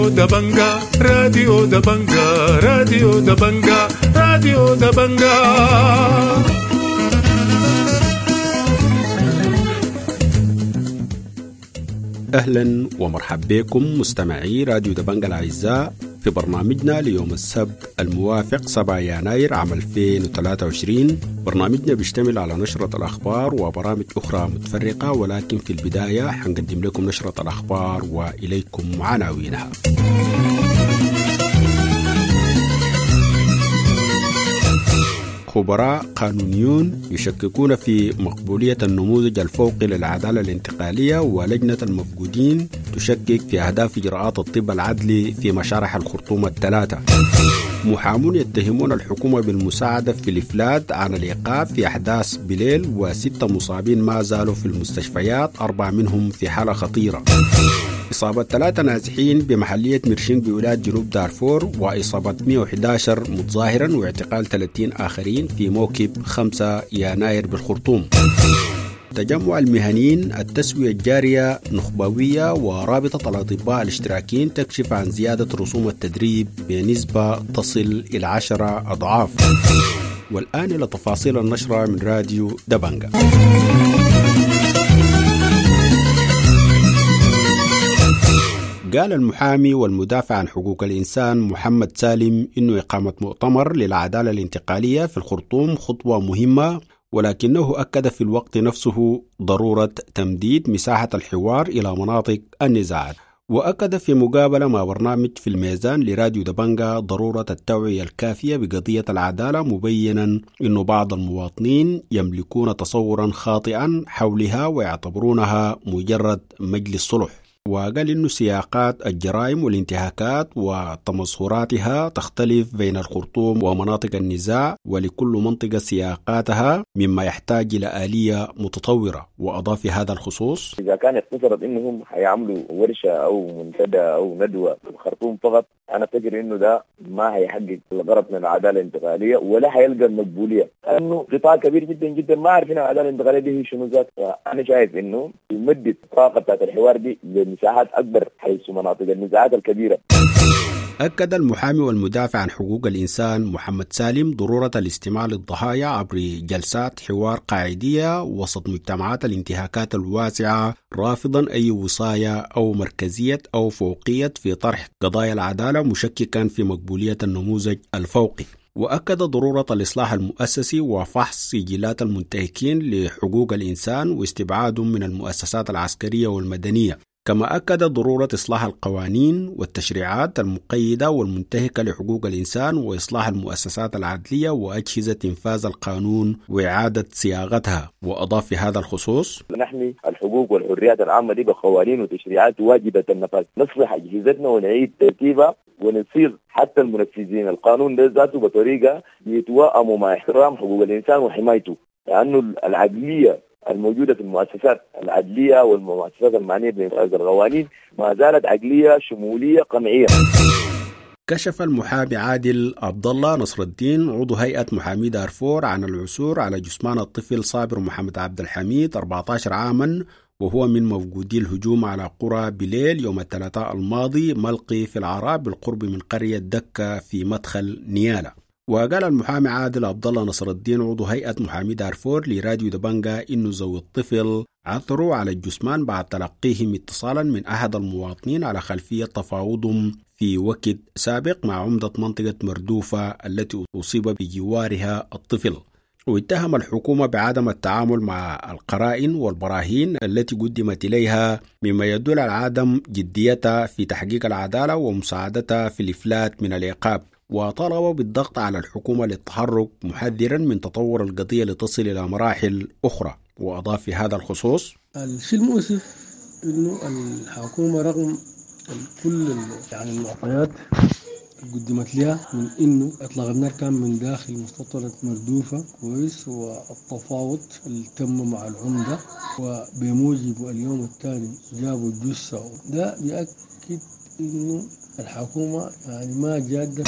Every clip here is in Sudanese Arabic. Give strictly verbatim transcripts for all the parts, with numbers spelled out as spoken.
راديو دبنجا، راديو دبنجا، راديو دبنجا، راديو دبنجا. أهلا ومرحبا بكم مستمعي راديو دبنجا الأعزاء في برنامجنا ليوم السبت الموافق سبعة يناير عام ألفين وثلاثة وعشرين. برنامجنا بيشتمل على نشرة الأخبار وبرامج أخرى متفرقة، ولكن في البداية حنقدم لكم نشرة الأخبار وإليكم عناوينها. خبراء قانونيون يشككون في مقبولية النموذج الفوقي للعدالة الانتقالية، ولجنة المفقودين تشكك في أهداف إجراءات الطب العدلي في مشارح الخرطوم الثلاثة. محامون يتهمون الحكومة بالمساعدة في الإفلات عن الإيقاف في أحداث بليل، وستة مصابين ما زالوا في المستشفيات، أربعة منهم في حالة خطيرة. إصابة ثلاثة نازحين بمحلية مرشين بولاية جنوب دارفور، وإصابة مئة وأحد عشر متظاهرا واعتقال ثلاثين آخرين في موكب خمسة يناير بالخرطوم. تجمع المهنيين، التسوية الجارية نخبوية، ورابطة الأطباء الاشتراكيين تكشف عن زيادة رسوم التدريب بنسبة تصل إلى عشرة أضعاف. والآن إلى تفاصيل النشرة من راديو دبنجا. قال المحامي والمدافع عن حقوق الإنسان محمد سالم إنه إقامة مؤتمر للعدالة الانتقالية في الخرطوم خطوة مهمة، ولكنه أكد في الوقت نفسه ضرورة تمديد مساحة الحوار إلى مناطق النزاعات. وأكد في مقابلة مع برنامج في الميزان لراديو دبنجا ضرورة التوعية الكافية بقضية العدالة، مبينا أن بعض المواطنين يملكون تصورا خاطئا حولها ويعتبرونها مجرد مجلس صلح. وقال إنه سياقات الجرائم والانتهاكات وتمظهراتها تختلف بين الخرطوم ومناطق النزاع، ولكل منطقة سياقاتها، مما يحتاج إلى آلية متطورة. وأضاف في هذا الخصوص: إذا كان اقتصرت إنهم هيعملوا ورشة أو منتدى أو ندوة في الخرطوم فقط، أنا أفتكر إنه ده ما هيحقق الغرض من العدالة الانتقالية ولا هيلقى المقبولية، لأنه قطاع كبير جدا جدا ما عارفين العدالة الانتقالية دي هي شنو ذات. فأنا شايف إنه يمدد الطاقة بتاعت الحوار دي لمساحات أكبر حيث مناطق النزاعات الكبيرة. أكد المحامي والمدافع عن حقوق الإنسان محمد سالم ضرورة الاستماع للضحايا عبر جلسات حوار قاعدية وسط مجتمعات الانتهاكات الواسعة، رافضا أي وصاية أو مركزية أو فوقية في طرح قضايا العدالة، مشككا في مقبولية النموذج الفوقي. وأكد ضرورة الإصلاح المؤسسي وفحص سجلات المنتهكين لحقوق الإنسان واستبعادهم من المؤسسات العسكرية والمدنية. كما أكد ضرورة إصلاح القوانين والتشريعات المقيدة والمنتهكة لحقوق الإنسان وإصلاح المؤسسات العدلية وأجهزة إنفاذ القانون وإعادة صياغتها. وأضاف في هذا الخصوص: نحمي الحقوق والحريات العامة دي بقوانين وتشريعات واجبة النفاذ، نصلح أجهزتنا ونعيد ترتيبها ونصيغ حتى المنفذين القانون ده ذاته بطريقة يتوائموا مع احترام حقوق الإنسان وحمايته، لأنه العدلية الموجودة في المؤسسات العدلية والمؤسسات المعنية بإنفاذ القوانين ما زالت عقلية شمولية قمعية. كشف المحامي عادل عبد الله نصر الدين عضو هيئة محامي دارفور عن العثور على جثمان الطفل صابر محمد عبد الحميد أربعة عشر عاما، وهو من مفقودي الهجوم على قرى بليل يوم الثلاثاء الماضي، ملقي في العراء بالقرب من قرية دكة في مدخل نيالا. وقال المحامي عادل عبد الله نصر الدين عضو هيئة محامي دارفور لراديو دبنجا إنه ذوي الطفل عثروا على الجثمان بعد تلقيهم اتصالا من أحد المواطنين على خلفية تفاوضهم في وقت سابق مع عمدة منطقة مردوفة التي أصيب بجوارها الطفل. واتهم الحكومة بعدم التعامل مع القرائن والبراهين التي قدمت إليها، مما يدل على عدم جديتها في تحقيق العدالة ومساعدتها في الإفلات من العقاب. وطالب بالضغط على الحكومة للتحرك، محذرا من تطور القضية لتصل إلى مراحل أخرى. وأضاف في هذا الخصوص: الشيء المؤسف إنه الحكومة رغم كل يعني المعطيات قدمت لها من إنه إطلاق النار كان من داخل مستوطنة مردوفة كويس، والتفاوض اللي تم مع العمدة وبموجب اليوم الثاني جابوا الجثة، ده بيأكد إنه الحكومة يعني ما جادة.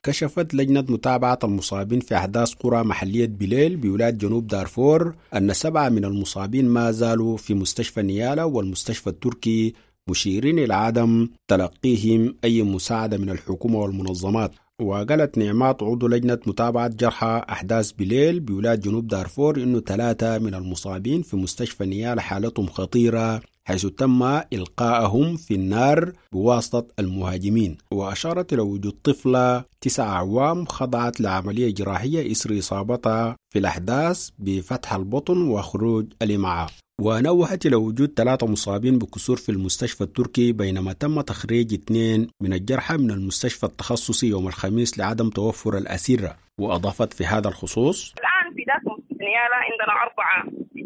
كشفت لجنة متابعة المصابين في أحداث قرى محلية بليل بولاية جنوب دارفور أن سبعة من المصابين ما زالوا في مستشفى نيالا والمستشفى التركي، مشيرين إلى عدم تلقيهم أي مساعدة من الحكومة والمنظمات. وقالت نعمات عضو لجنة متابعة جرحى أحداث بليل بولاية جنوب دارفور إنه ثلاثة من المصابين في مستشفى نيالا حالتهم خطيرة، حيث تم إلقائهم في النار بواسطة المهاجمين. وأشارت إلى وجود طفلة تسع أعوام خضعت لعملية جراحية إثر إصابتها في الأحداث بفتح البطن وخروج الإمعاء. ونوهت إلى وجود ثلاثة مصابين بكسور في المستشفى التركي، بينما تم تخريج اثنين من الجرحى من المستشفى التخصصي يوم الخميس لعدم توفر الأسرة. وأضافت في هذا الخصوص: الآن في داخل مستشفى نيالا عندنا أربعة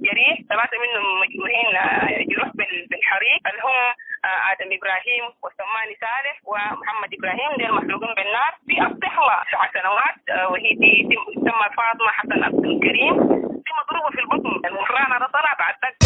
جريح، ثلاثة منهم مجروحين جروح بالحريق، اللي هم آدم إبراهيم وسماني صالح ومحمد إبراهيم، ديل محروقين بالنار. في الطفلة تسع سنوات وهي دي تسمى فاطمة حسن عبد الكريم، دي مضروبة في البطن، المفرانة ده طلع بعد ذلك.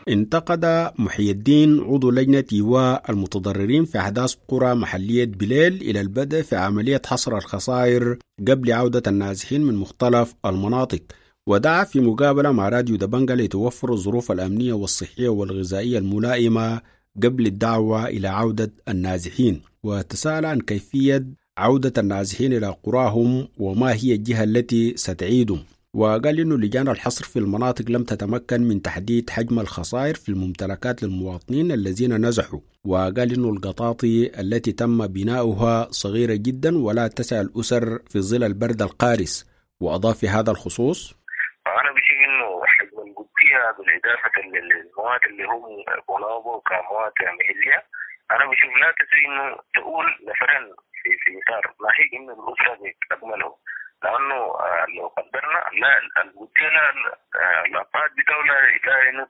انتقد محي الدين عضو لجنة إيواء المتضررين في أحداث قرى محلية بليل إلى البدء في عملية حصر الخسائر قبل عودة النازحين من مختلف المناطق، ودعا في مقابلة مع راديو دبنجا لتوفر الظروف الأمنية والصحية والغذائية الملائمة قبل الدعوة إلى عودة النازحين. وتساءل عن كيفية عودة النازحين إلى قراهم وما هي الجهة التي ستعيدهم. وقال إنه لجان الحصر في المناطق لم تتمكن من تحديد حجم الخسائر في الممتلكات للمواطنين الذين نزحوا. وقال إنه القطاطي التي تم بناؤها صغيرة جدا ولا تسع الأسر في ظل البرد القارس. وأضاف في هذا الخصوص: أنا بشوف إنه حجم القطية بالإضافة للمواد اللي هم بلابة وكمواد محلية، أنا بشوف لا تسوي إنه تقول نفرين في في إطار ناهيك إنه الأسرة بتأمله، لأنه لو قدرنا لا القطية لا الأفراد بدولة لا إنه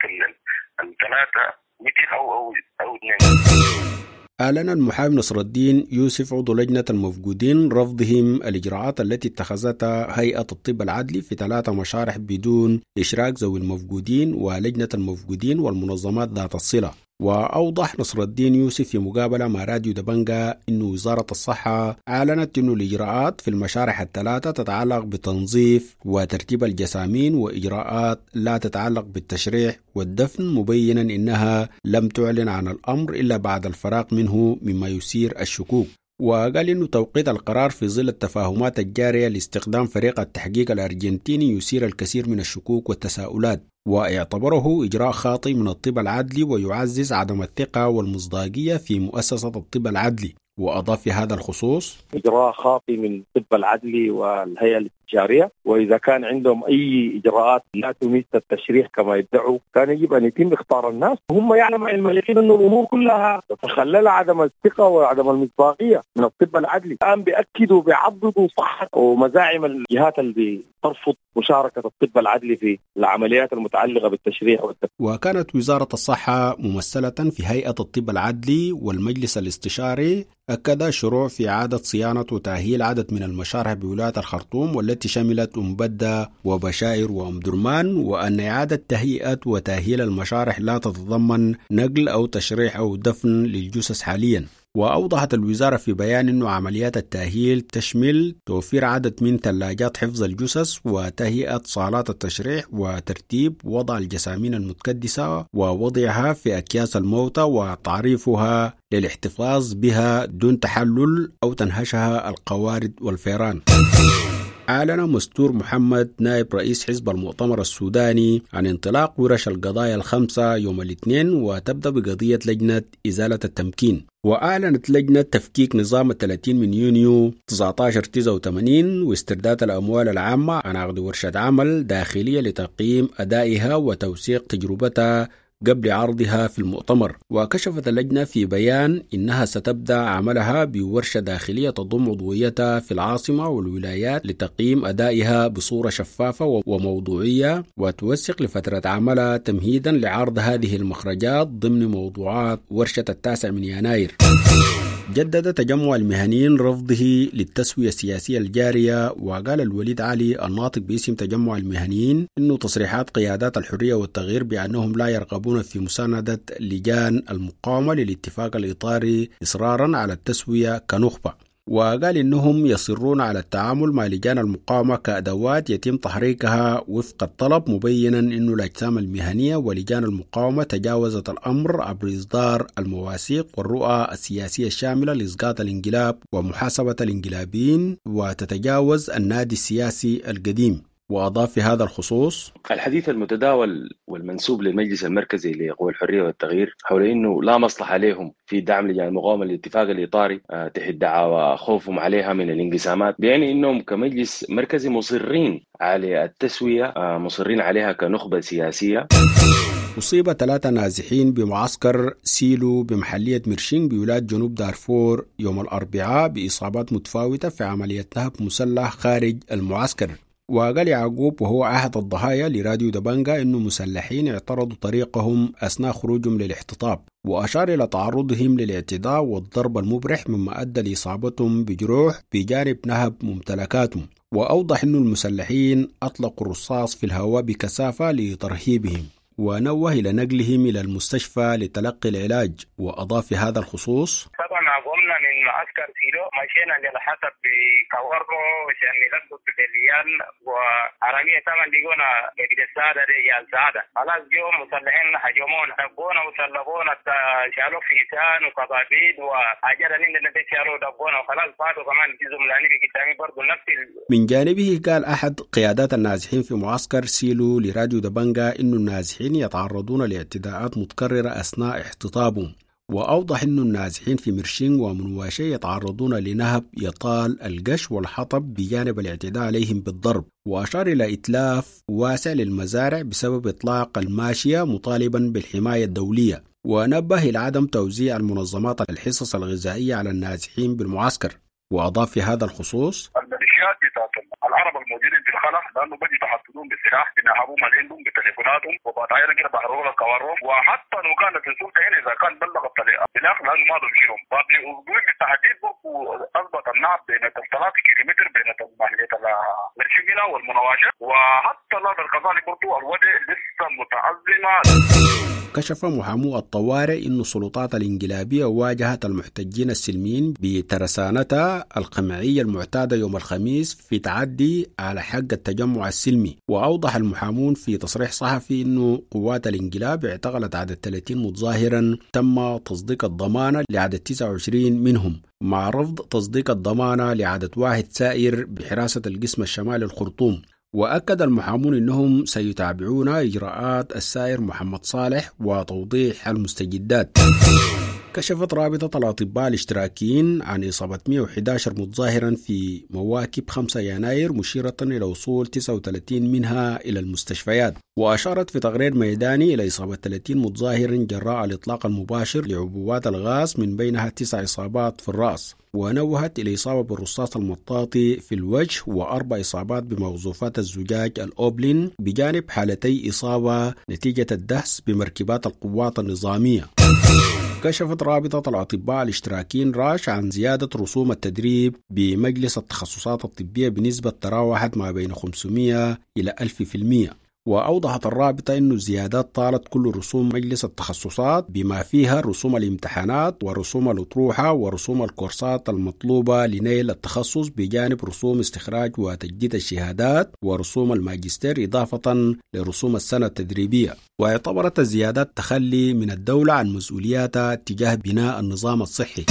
الثلاثة متر أو أو أو اثنين. أعلن المحامي نصر الدين يوسف عضو لجنة المفقودين رفضهم الإجراءات التي اتخذتها هيئة الطب العدلي في ثلاثة مشارح بدون إشراك ذوي المفقودين ولجنة المفقودين والمنظمات ذات الصلة. وأوضح نصر الدين يوسف في مقابلة مع راديو دبنجا أن وزارة الصحة أعلنت أن الإجراءات في المشارح الثلاثة تتعلق بتنظيف وترتيب الجسامين وإجراءات لا تتعلق بالتشريح والدفن، مبينا أنها لم تعلن عن الأمر إلا بعد الفراغ منه مما يثير الشكوك. وقال إنه توقيت القرار في ظل التفاهمات الجارية لاستخدام فريق التحقيق الأرجنتيني يثير الكثير من الشكوك والتساؤلات، واعتبره إجراء خاطئ من الطب العدلي ويعزز عدم الثقة والمصداقية في مؤسسة الطب العدلي. وأضاف في هذا الخصوص: إجراء خاطئ من الطب العدلي والهيئة الاستشارية، وإذا كان عندهم أي إجراءات لا تميز التشريح كما يدعوا كان يجب أن يتم اختار الناس. هم يعلموا علم اليقين أن الأمور كلها تتخلل عدم الثقة وعدم المصداقية من الطب العدلي. الآن بيأكدوا بيعضدوا صحة ومزاعم الجهات اللي ترفض مشاركة الطب العدلي في العمليات المتعلقة بالتشريح والتشريح. وكانت وزارة الصحة ممثلة في هيئة الطب العدلي والمجلس الاستشاري أكد شروع في إعادة صيانة وتأهيل عدد من المشارح بولاية الخرطوم والتي شملت أم بدة وبشائر وأم درمان، وأن إعادة تهيئة وتأهيل المشارح لا تتضمن نقل أو تشريح أو دفن للجثث حاليا. وأوضحت الوزارة في بيان أن عمليات التأهيل تشمل توفير عدد من ثلاجات حفظ الجثث وتهيئة صالات التشريح وترتيب وضع الجسامين المتكدسة ووضعها في أكياس الموتى وتعريفها للاحتفاظ بها دون تحلل أو تنهشها القوارض والفيران. أعلن مستور محمد نائب رئيس حزب المؤتمر السوداني عن انطلاق ورش القضايا الخمسة يوم الاثنين، وتبدأ بقضية لجنة إزالة التمكين. وأعلنت لجنة تفكيك نظام الثلاثين من يونيو تسعة عشر تسعة وثمانين واسترداد الأموال العامة عن عقد ورشة عمل داخلية لتقييم أدائها وتوثيق تجربتها قبل عرضها في المؤتمر. وكشفت اللجنة في بيان إنها ستبدأ عملها بورشة داخلية تضم عضويتها في العاصمة والولايات لتقييم أدائها بصورة شفافة وموضوعية، وتوثق لفترة عملها تمهيدا لعرض هذه المخرجات ضمن موضوعات ورشة التاسع من يناير. جدد تجمع المهنيين رفضه للتسوية السياسية الجارية، وقال الوليد علي الناطق باسم تجمع المهنيين إنه تصريحات قيادات الحرية والتغيير بأنهم لا يرغبون في مساندة لجان المقاومة للاتفاق الإطاري إصرارا على التسوية كنخبة. وقال إنهم يصرون على التعامل مع لجان المقاومة كأدوات يتم تحريكها وفق الطلب، مبينا أن الأجسام المهنية ولجان المقاومة تجاوزت الأمر عبر إصدار المواثيق والرؤى السياسية الشاملة لإسقاط الانقلاب ومحاسبة الانقلابيين، وتتجاوز النادي السياسي القديم. وأضاف في هذا الخصوص: الحديث المتداول والمنسوب للمجلس المركزي لقوى الحرية والتغيير حول أنه لا مصلحة لهم في دعم لجان المقاومة للاتفاق الإطاري تحت دعاوى خوفهم عليها من الانقسامات، بيعني أنهم كمجلس مركزي مصرين على التسوية، مصرين عليها كنخبة سياسية. أصيب ثلاثة نازحين بمعسكر سيلو بمحلية مرشين بولاية جنوب دارفور يوم الأربعاء بإصابات متفاوتة في عملية نهب مسلح خارج المعسكر. وقال يعقوب وهو أحد الضحايا لراديو دبنجا إنه مسلحين اعترضوا طريقهم أثناء خروجهم للاحتطاب، وأشار إلى تعرضهم للاعتداء والضرب المبرح مما أدى لإصابتهم بجروح بجانب نهب ممتلكاتهم. وأوضح أن المسلحين أطلقوا الرصاص في الهواء بكثافة لترهيبهم، ونوه إلى نقلهم إلى المستشفى لتلقي العلاج. وأضاف في هذا الخصوص: طبعا قمنا من معسكر سيلو مشينا للحسب بكورو عشان نلقط بالريال وعربية طبعا لقونا قبل السادة رجال سادة خلاص جو مسلحين هجمونا دقونا وسلبونا شالوا فيسان وكبابيد وحاجات اللي شالوا دقونا وخلاص فاتوا كمان زملاني قدامي برضه نفس. من جانبه قال أحد قيادات النازحين في معسكر سيلو لراديو دبنجا إنه النازحين يتعرضون لاعتداءات متكررة أثناء احتطابهم، وأوضح أن النازحين في مرشين ومنواشي يتعرضون لنهب يطال القش والحطب بجانب الاعتداء عليهم بالضرب، وأشار إلى إتلاف واسع للمزارع بسبب إطلاق الماشية مطالبا بالحماية الدولية، ونبه إلى عدم توزيع المنظمات الحصص الغذائية على النازحين بالمعسكر. وأضاف في هذا الخصوص: الميليشيات بتاعت العرب الموجودين في الخلا لانه بيجي يتحصلون بالسلاح بينهبوهم اللي عندهم بتليفوناتهم وبعدين كده بحرروا الكوارهم، وحتى لو كانت السلطه هنا اذا كان بلغت السلاح لانه ما بيمشيهم. فقبل اسبوع بالتحديد اثبت النعب بين ثلاثة كيلومتر بين محلية المرشمينة والمنواشة، وحتى لا القضاء برضه الوضع لسه متأزمة. كشف محامو الطوارئ أن السلطات الانقلابية واجهت المحتجين السلميين بترسانتها القمعية المعتادة يوم الخميس في تعدي على حق التجمع السلمي. وأوضح المحامون في تصريح صحفي أن قوات الانقلاب اعتقلت عدد ثلاثين متظاهرا تم تصديق الضمانة لعدد تسعة وعشرين منهم، مع رفض تصديق الضمانة لعدد واحد سائر بحراسة القسم الشمالي الخرطوم. وأكد المحامون أنهم سيتابعون إجراءات السائر محمد صالح وتوضيح المستجدات. كشفت رابطة الأطباء الاشتراكيين عن إصابة مئة وأحد عشر متظاهرا في مواكب خمسة يناير، مشيرة إلى وصول تسعة وثلاثين منها إلى المستشفيات. وأشارت في تقرير ميداني إلى إصابة ثلاثين متظاهر جراء الإطلاق المباشر لعبوات الغاز، من بينها تسع إصابات في الرأس. ونوهت إلى إصابة بالرصاص المطاطي في الوجه وأربع إصابات بموظوفات الزجاج الأوبلين، بجانب حالتي إصابة نتيجة الدهس بمركبات القوات النظامية. كشفت رابطة الأطباء الاشتراكيين راش عن زيادة رسوم التدريب بمجلس التخصصات الطبية بنسبة تراوحت ما بين خمسمئة إلى ألف في المئة. وأوضحت الرابطة أن الزيادات طالت كل رسوم مجلس التخصصات بما فيها رسوم الامتحانات ورسوم الأطروحة ورسوم الكورسات المطلوبة لنيل التخصص، بجانب رسوم استخراج وتجديد الشهادات ورسوم الماجستير، إضافة لرسوم السنة التدريبية. واعتبرت الزيادات تخلي من الدولة عن مسؤولياتها تجاه بناء النظام الصحي.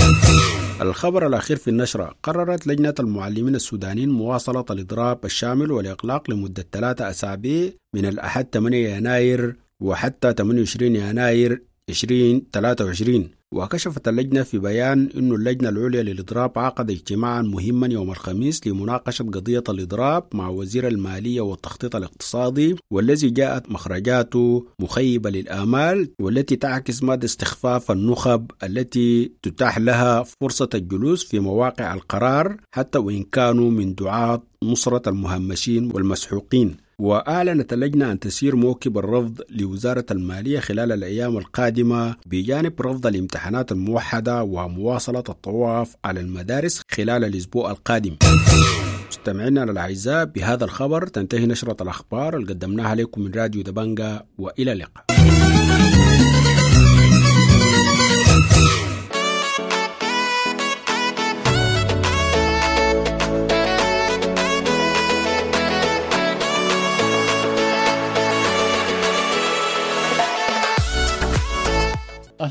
الخبر الأخير في النشرة: قررت لجنة المعلمين السودانيين مواصلة الإضراب الشامل والإغلاق لمدة ثلاثة أسابيع من الأحد ثمانية يناير وحتى ثمانية وعشرين يناير ألفين وثلاثة وعشرين. وكشفت اللجنة في بيان أن اللجنة العليا للإضراب عقد اجتماعا مهما يوم الخميس لمناقشة قضية الإضراب مع وزير المالية والتخطيط الاقتصادي، والذي جاءت مخرجاته مخيبة للآمال، والتي تعكس مدى استخفاف النخب التي تتاح لها فرصة الجلوس في مواقع القرار حتى وإن كانوا من دعاة نصرة المهمشين والمسحوقين. وأعلنت اللجنة أن تسير موكب الرفض لوزارة المالية خلال الأيام القادمة، بجانب رفض الامتحانات الموحدة ومواصلة الطواف على المدارس خلال الأسبوع القادم. مستمعينا الأعزاء، بهذا الخبر تنتهي نشرة الأخبار اللي قدمناها لكم من راديو دبنجا، وإلى اللقاء.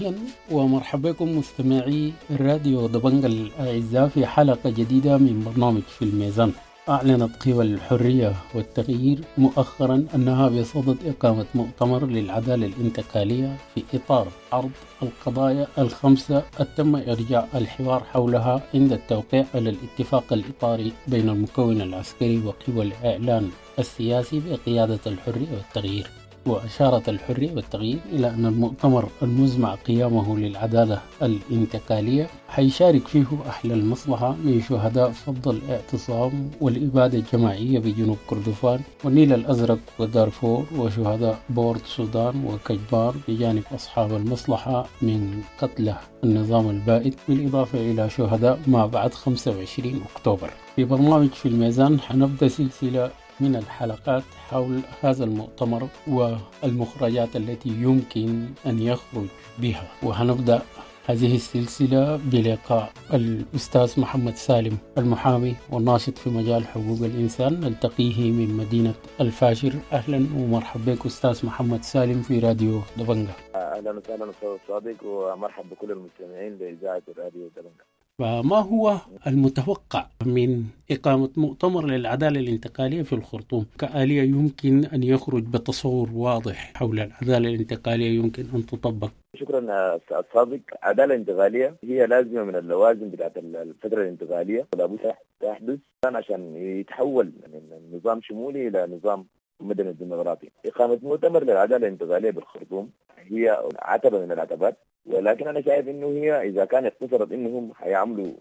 أهلا ومرحبا بكم مستمعي راديو دبنجا الأعزاء في حلقة جديدة من برنامج في الميزان. أعلنت قوى الحرية والتغيير مؤخرا أنها بصدد إقامة مؤتمر للعدالة الانتقالية في إطار عرض القضايا الخمسة التم إرجاء الحوار حولها عند التوقيع على الاتفاق الإطاري بين المكون العسكري وقوى الإعلان السياسي بقيادة الحرية والتغيير. وأشارت الحرية والتغيير إلى أن المؤتمر المزمع قيامه للعدالة الانتقالية حيشارك فيه أهل المصلحة من شهداء فض الاعتصام والإبادة الجماعية بجنوب كردفان والنيل الأزرق ودارفور وشهداء بورت سودان وكجبار، بجانب أصحاب المصلحة من قتله النظام البائد، بالإضافة إلى شهداء ما بعد خمسة وعشرين أكتوبر. في برنامج في الميزان حنبدأ سلسلة من الحلقات حول هذا المؤتمر والمخرجات التي يمكن أن يخرج بها، وهنبدأ هذه السلسلة بلقاء الأستاذ محمد سالم المحامي والناشط في مجال حقوق الإنسان، نلتقيه من مدينة الفاشر. أهلا ومرحبا بك أستاذ محمد سالم في راديو دبنجا. أهلا وسهلا أستاذ صادق، ومرحبا بكل المستمعين لإذاعة راديو دبنجا. فما هو المتوقع من إقامة مؤتمر للعدالة الانتقالية في الخرطوم كآلية يمكن أن يخرج بتصور واضح حول العدالة الانتقالية يمكن أن تطبق؟ شكرا أستاذ صادق. العدالة الانتقالية هي لازمة من اللوازم بتاعت الفترة الانتقالية، لابد تحدث عشان يتحول من نظام شمولي إلى نظام مدني ديمقراطي. إقامة مؤتمر للعدالة الانتقالية بالخرطوم هي عتبة من العتبات، ولكن أنا شايف إنه هي إذا كان اقتصرت إنهم هيعملوا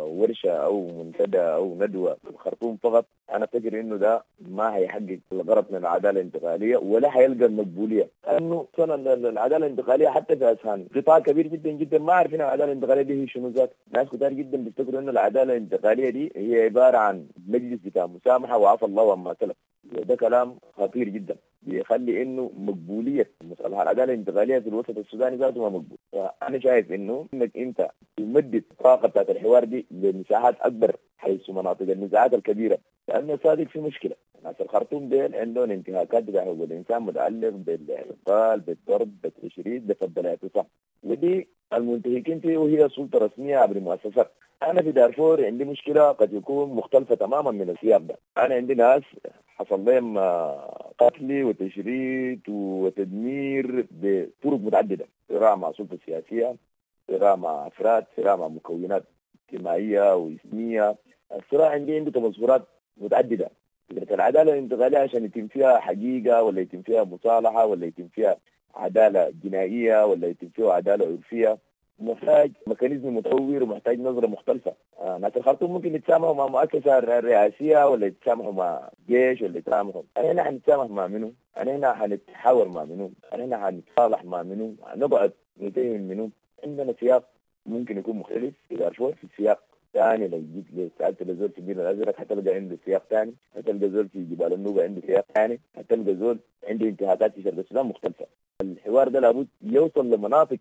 ورشة أو منتدى أو ندوة بالخرطوم فقط، أنا أفتكر إنه ده ما هيحقق الغرض من العدالة الانتقالية ولا هيلقى المقبولية، لأنه العدالة الانتقالية حتى في أذهان قطاع كبير جدا جدا ما عارفين العدالة الانتقالية دي هي شنو ذات. ناس كتار جدا بيفتكروا إنه العدالة الانتقالية دي هي عبارة عن مجلس بتاع مسامحة وعفى الله وما سلف، وده كلام خطير جدا بيخلي انه مقبوليه مصطلح العدالة الانتقالية في الوسط السوداني ذاته ما مقبول. فانا شايف انه انك انت تمدد الطاقة بتاعت الحوار دي لمساحات اكبر حيث مناطق النزاعات الكبيرة، لانه صادق في مشكلة. ناس الخرطوم ديل عندهم انتهاكات بتاع حقوق الانسان متعلق بالاعتقال، بالضرب، بالتشريد، بفض الاعتصام، ودي المنتهكين فيه وهي سلطة رسمية عبر مؤسسات. انا في دارفور عندي مشكلة قد يكون مختلفة تماما من السياق ده. انا عندي ناس حصل لهم قتل وتشريد وتدمير بطرق متعددة، صراع مع سلطة سياسية، صراع مع افراد، صراع مع مكونات اجتماعية واسميه. الصراع عندي عنده تمظهرات متعددة. فكرة العدالة الانتقالية عشان يتم فيها حقيقة ولا يتم فيها مصالحه ولا يتم فيها عدالة جنائية ولا يتم فيها عدالة عرفية محتاج mechanism متطور ومحتاج نظرة مختلفة. آه ناس الخرطوم ممكن يتسامحوا مع مؤسسة رئاسية ولا يتسامحوا مع جيش ولا يتسامحوا. أنا هنا حنتسامح مع منو؟ أنا هنا حنتحاور مع منو؟ أنا هنا حنتصالح مع منو؟ نقعد نتهم منو؟ عندنا سياق ممكن يكون مختلف في دارفور، في سياق ثاني لو جيت سألت لزول في النيل الأزرق حتلقى عنده سياق ثاني، حتلقى زول في جبال النوبة عنده سياق ثاني، حتلقى زول عنده انتهاكات في شرق السودان مختلفة. الحوار ده لابد يوصل لمناطق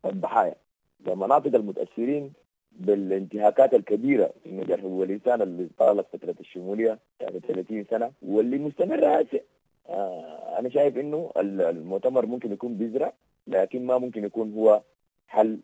الضحايا، لمناطق المتأثرين بالانتهاكات الكبيرة في مجال حقوق الإنسان اللي طالت فترة الشمولية يعني ثلاثين سنة واللي مستمرة هسه. آه أنا شايف إنه المؤتمر ممكن يكون بذرة، لكن ما ممكن يكون هو حل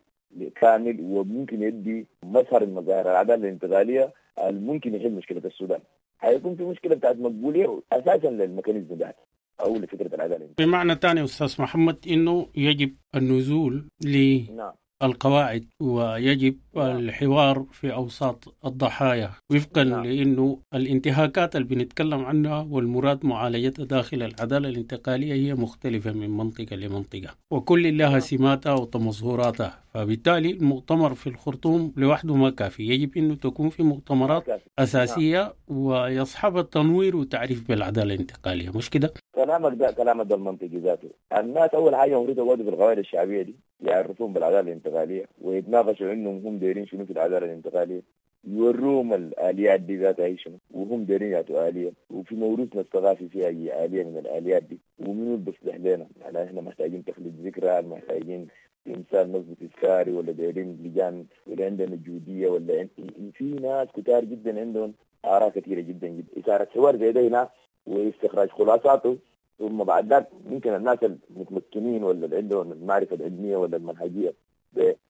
كامل وممكن يدي مظهر من مظاهر العدالة الانتقالية الممكن يحل مشكلة السودان. حيكون في مشكلة بتاعت مقبولية أساسا للميكانيزم ده أو لفكرة العدالة. بمعنى ثاني أستاذ محمد إنه يجب النزول للقواعد ويجب الحوار في أوساط الضحايا وفقا نعم. لأنه الانتهاكات اللي بنتكلم عنها والمراد معالجتها داخل العدالة الانتقالية هي مختلفة من منطقة لمنطقة وكل لها سماتها وتمظهراتها، فبالتالي المؤتمر في الخرطوم لوحده ما كافي، يجب أنه تكون في مؤتمرات أساسية نعم. ويصحب التنوير وتعريف بالعدالة الانتقالية، مش كده؟ كلامك ده كلامك ده المنطقي ذاته. الناس أول حاجة المفروض يقعدوا في القواعد الشعبية دي يعرفون بالعدالة الانتقالية ويتناقشوا إنهم هم دايرين شنو في العدالة الانتقالية، يوروهم الآليات دي ذاتها هي شنو وهم دايرين يعطوا آلية، وفي موروثنا الثقافي في أي آلية من الآليات دي ومنو اللي بيصلح لنا. يعني إحنا محتاجين تخليد ذكرى، محتاجين إنسان نصب تذكاري، ولا دايرين لجان، ولا عندنا جودية، ولا عند... في ناس كتار جدا عندهم آراء كثيرة جدا جدا. إثارة حوار زي ده هنا واستخراج خلاصاته ثم بعد ذلك ممكن الناس المتمكنين ولا اللي عندهم المعرفة العلمية ولا المنهجية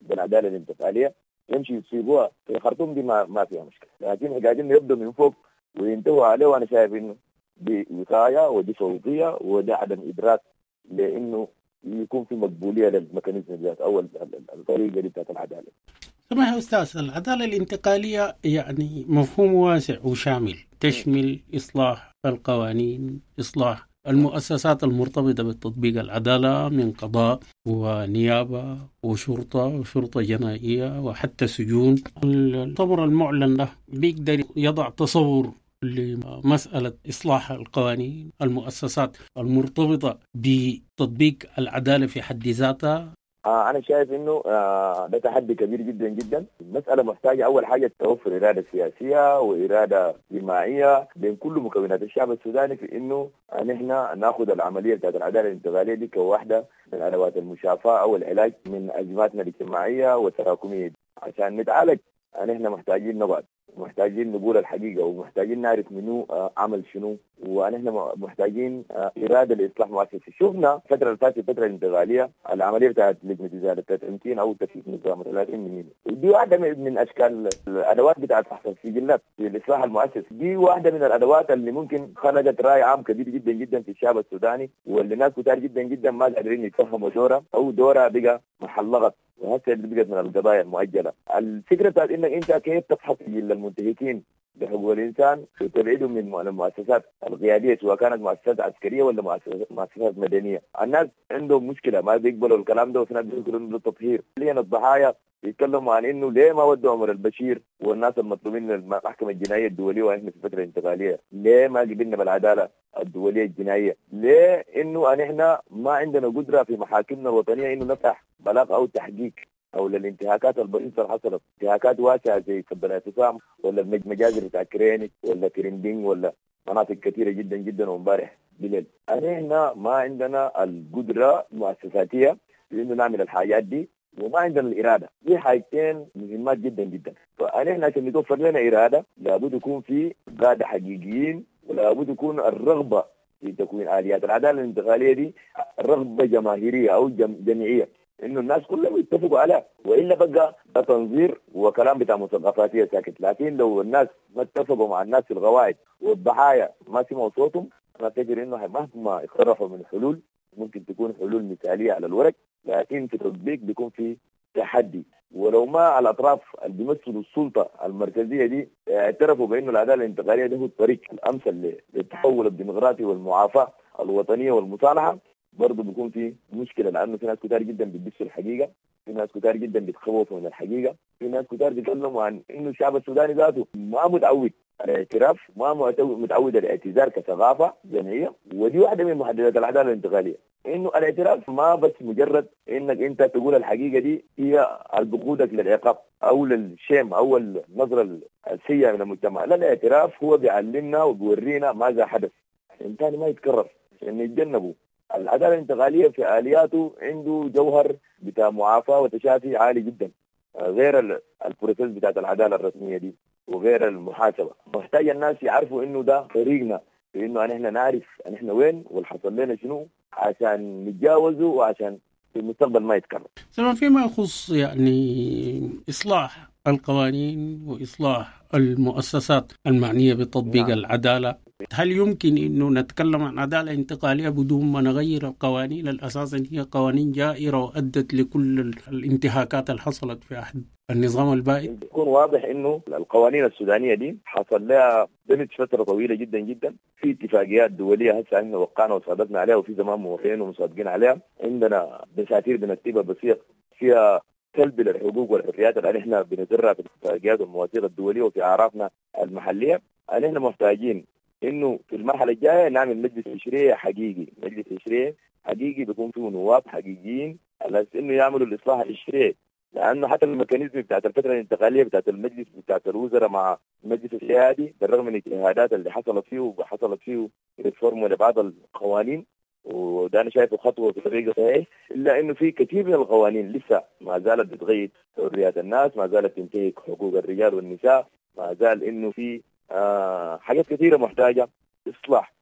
بالعدالة الانتقالية يمشي يصيبوها في الخرطوم، دي ما, ما فيها مشكلة. لكن قاعدين يبدوا من فوق وينتهوا عليه، وانا شايف انه دي وقاية ودي فوضيه وده عدم ادراك لانه يكون في مقبوليه لل mechanism ذات او الطريقة دي بتاعت العدالة. سمح يا استاذ، العدالة الانتقالية يعني مفهوم واسع وشامل، تشمل اصلاح القوانين، اصلاح المؤسسات المرتبطة بالتطبيق العدالة من قضاء ونيابة وشرطة وشرطة جنائية وحتى سجون. الطبر المعلن ده بيقدر يضع تصور لمسألة إصلاح القوانين، المؤسسات المرتبطة بتطبيق العدالة في حد ذاتها. آه أنا شايف إنه آه ده تحدي كبير جدا جدا. المسألة محتاجة أول حاجة توفر إرادة سياسية وإرادة اجتماعية بين كل مكونات الشعب السوداني في إنه نحن ناخذ العملية بتاعت العدالة الانتقالية دي كواحدة من أدوات المشافاة أو العلاج من أزماتنا الاجتماعية والتراكمية. عشان نتعالج نحن محتاجين نقعد، محتاجين نقول الحقيقة، ومحتاجين نعرف منو عمل شنو، ونحن محتاجين إرادة لإصلاح مؤسسة. شفنا الفترة اللي فاتت الفترة الانتقالية العملية بتاعت لجنة إزالة التمكين أو تفكيك نظام ثلاثين مليون، دي واحدة من أشكال الأدوات بتاعت فحص السجلات في الإصلاح المؤسسي. دي واحدة من الأدوات اللي ممكن خلقت رأي عام كبير جدا جدا في الشعب السوداني، واللي ناس كتار جدا جدا ما قادرين يتفهموا دورها أو دورها بقى محل لغط، وهسه اللي بقت من القضايا المؤجلة. الفكرة بتاعت انك انت كيف تفحص سجل المنتهكين بحقوق الانسان وتبعدهم من المؤسسات القيادية، سواء كانت مؤسسات عسكرية ولا مؤسسات مدنية. الناس عندهم مشكلة ما بيقبلوا الكلام ده، وفي ناس بيقولوا انه تطهير. حاليا الضحايا يتكلموا عن انه ليه ما ودوا عمر البشير والناس المطلوبين للمحكمة الجنائية الدولية واحنا في فترة انتقالية، ليه ما قبلنا بالعدالة الدولية الجنائية؟ ليه انه نحن ما عندنا قدره في محاكمنا الوطنية انه نفتح بلاغ او تحقيق او للانتهاكات البسيطة اللي حصلت، انتهاكات واسعة زي سب الاعتصام ولا المجازر بتاع كرينك ولا كرندين ولا مناطق كثيرة جدا جدا وامبارح بالليل. نحن ما عندنا القدرة المؤسساتيه انه نعمل الحاجات دي، وما عندنا الارادة. دي حاجتين مهمات جدا جدا. فنحن عشان يتوفر لنا اراده لابد يكون في قاده حقيقيين، ولابد يكون الرغبة في تكوين اليات العدالة الانتقالية دي رغبة جماهيرية او جم... جمعية، انه الناس كلهم يتفقوا عليها، والا بقى ده تنظير وكلام بتاع مثقفاتيه ساكت. لكن لو الناس ما اتفقوا مع الناس في القواعد والضحايا ما سمعوا صوتهم، انا افتكر انه مهما اقترحوا من حلول ممكن تكون حلول مثاليه على الورق، لكن في التطبيق بيكون في تحدي. ولو ما الاطراف اللي بيمثلوا السلطة المركزية دي اعترفوا بانه العدالة الانتقالية ده هو الطريق الامثل للتحول الديمقراطي والمعافاة الوطنية والمصالحة، برضه بيكون في مشكلة، لانه في ناس كتار جدا بتدسوا الحقيقة، في ناس كتار جدا بيتخوفوا من الحقيقة، في ناس كتار بيتكلموا عن انه الشعب السوداني ذاته ما متعود على الاعتراف، ما متعود على الاعتذار كثقافه جمعية. ودي واحدة من محددات العدالة الانتقالية، انه الاعتراف ما بس مجرد انك انت تقول الحقيقة دي هي بقودك للعقاب او للشيم او النظرة السيئة من المجتمع، لا، الاعتراف هو بيعلمنا وبيورينا ماذا حدث عشان ثاني ما يتكرر، عشان نتجنبه. العدالة الانتقالية في الياته عنده جوهر بتاع معافاه وتشافي عالي جدا، غير ال process بتاعت العدالة الرسمية دي وغير المحاسبة. محتاج الناس يعرفوا انه ده طريقنا في انه نحن نعرف نحن وين والحصل لنا شنو عشان نتجاوزه وعشان في المستقبل ما يتكرر. طبعا فيما يخص يعني اصلاح القوانين واصلاح المؤسسات المعنية بتطبيق نعم. العدالة، هل يمكن انه نتكلم عن عدالة انتقالية بدون ما نغير القوانين الاساسا هي قوانين جائرة وادت لكل الانتهاكات اللي حصلت في عهد النظام البائد؟ يكون واضح انه القوانين السودانية دي حصل لها دمج فترة طويلة جدا جدا، في اتفاقيات دولية هسه احنا وقعنا وصادقنا عليها، وفي زمان موقعين ومصادقين عليها، عندنا دساتير بنكتبها بصيغ فيها سلب للحقوق والحريات اللي احنا بنزرها في الاتفاقيات والمواثيق الدولية وفي اعرافنا المحلية. احنا محتاجين انه في المرحلة الجاية نعمل مجلس تشريعي حقيقي، مجلس تشريعي حقيقي بيكون فيه نواب حقيقيين على انه يعملوا الاصلاح التشريعي، لانه حتى ال mechanism بتاعت الفترة الانتقالية بتاعت المجلس بتاعت الوزراء مع المجلس السيادي، بالرغم من الاجتهادات اللي حصلت فيه وحصلت فيه reform لبعض القوانين، وده انا شايفه خطوة في طريق صحيح، الا انه في كثير من القوانين لسه ما زالت بتغير حريات الناس، ما زالت تنتهك حقوق الرجال والنساء، ما زال انه في آه حاجات كثيرة محتاجه اصلاح.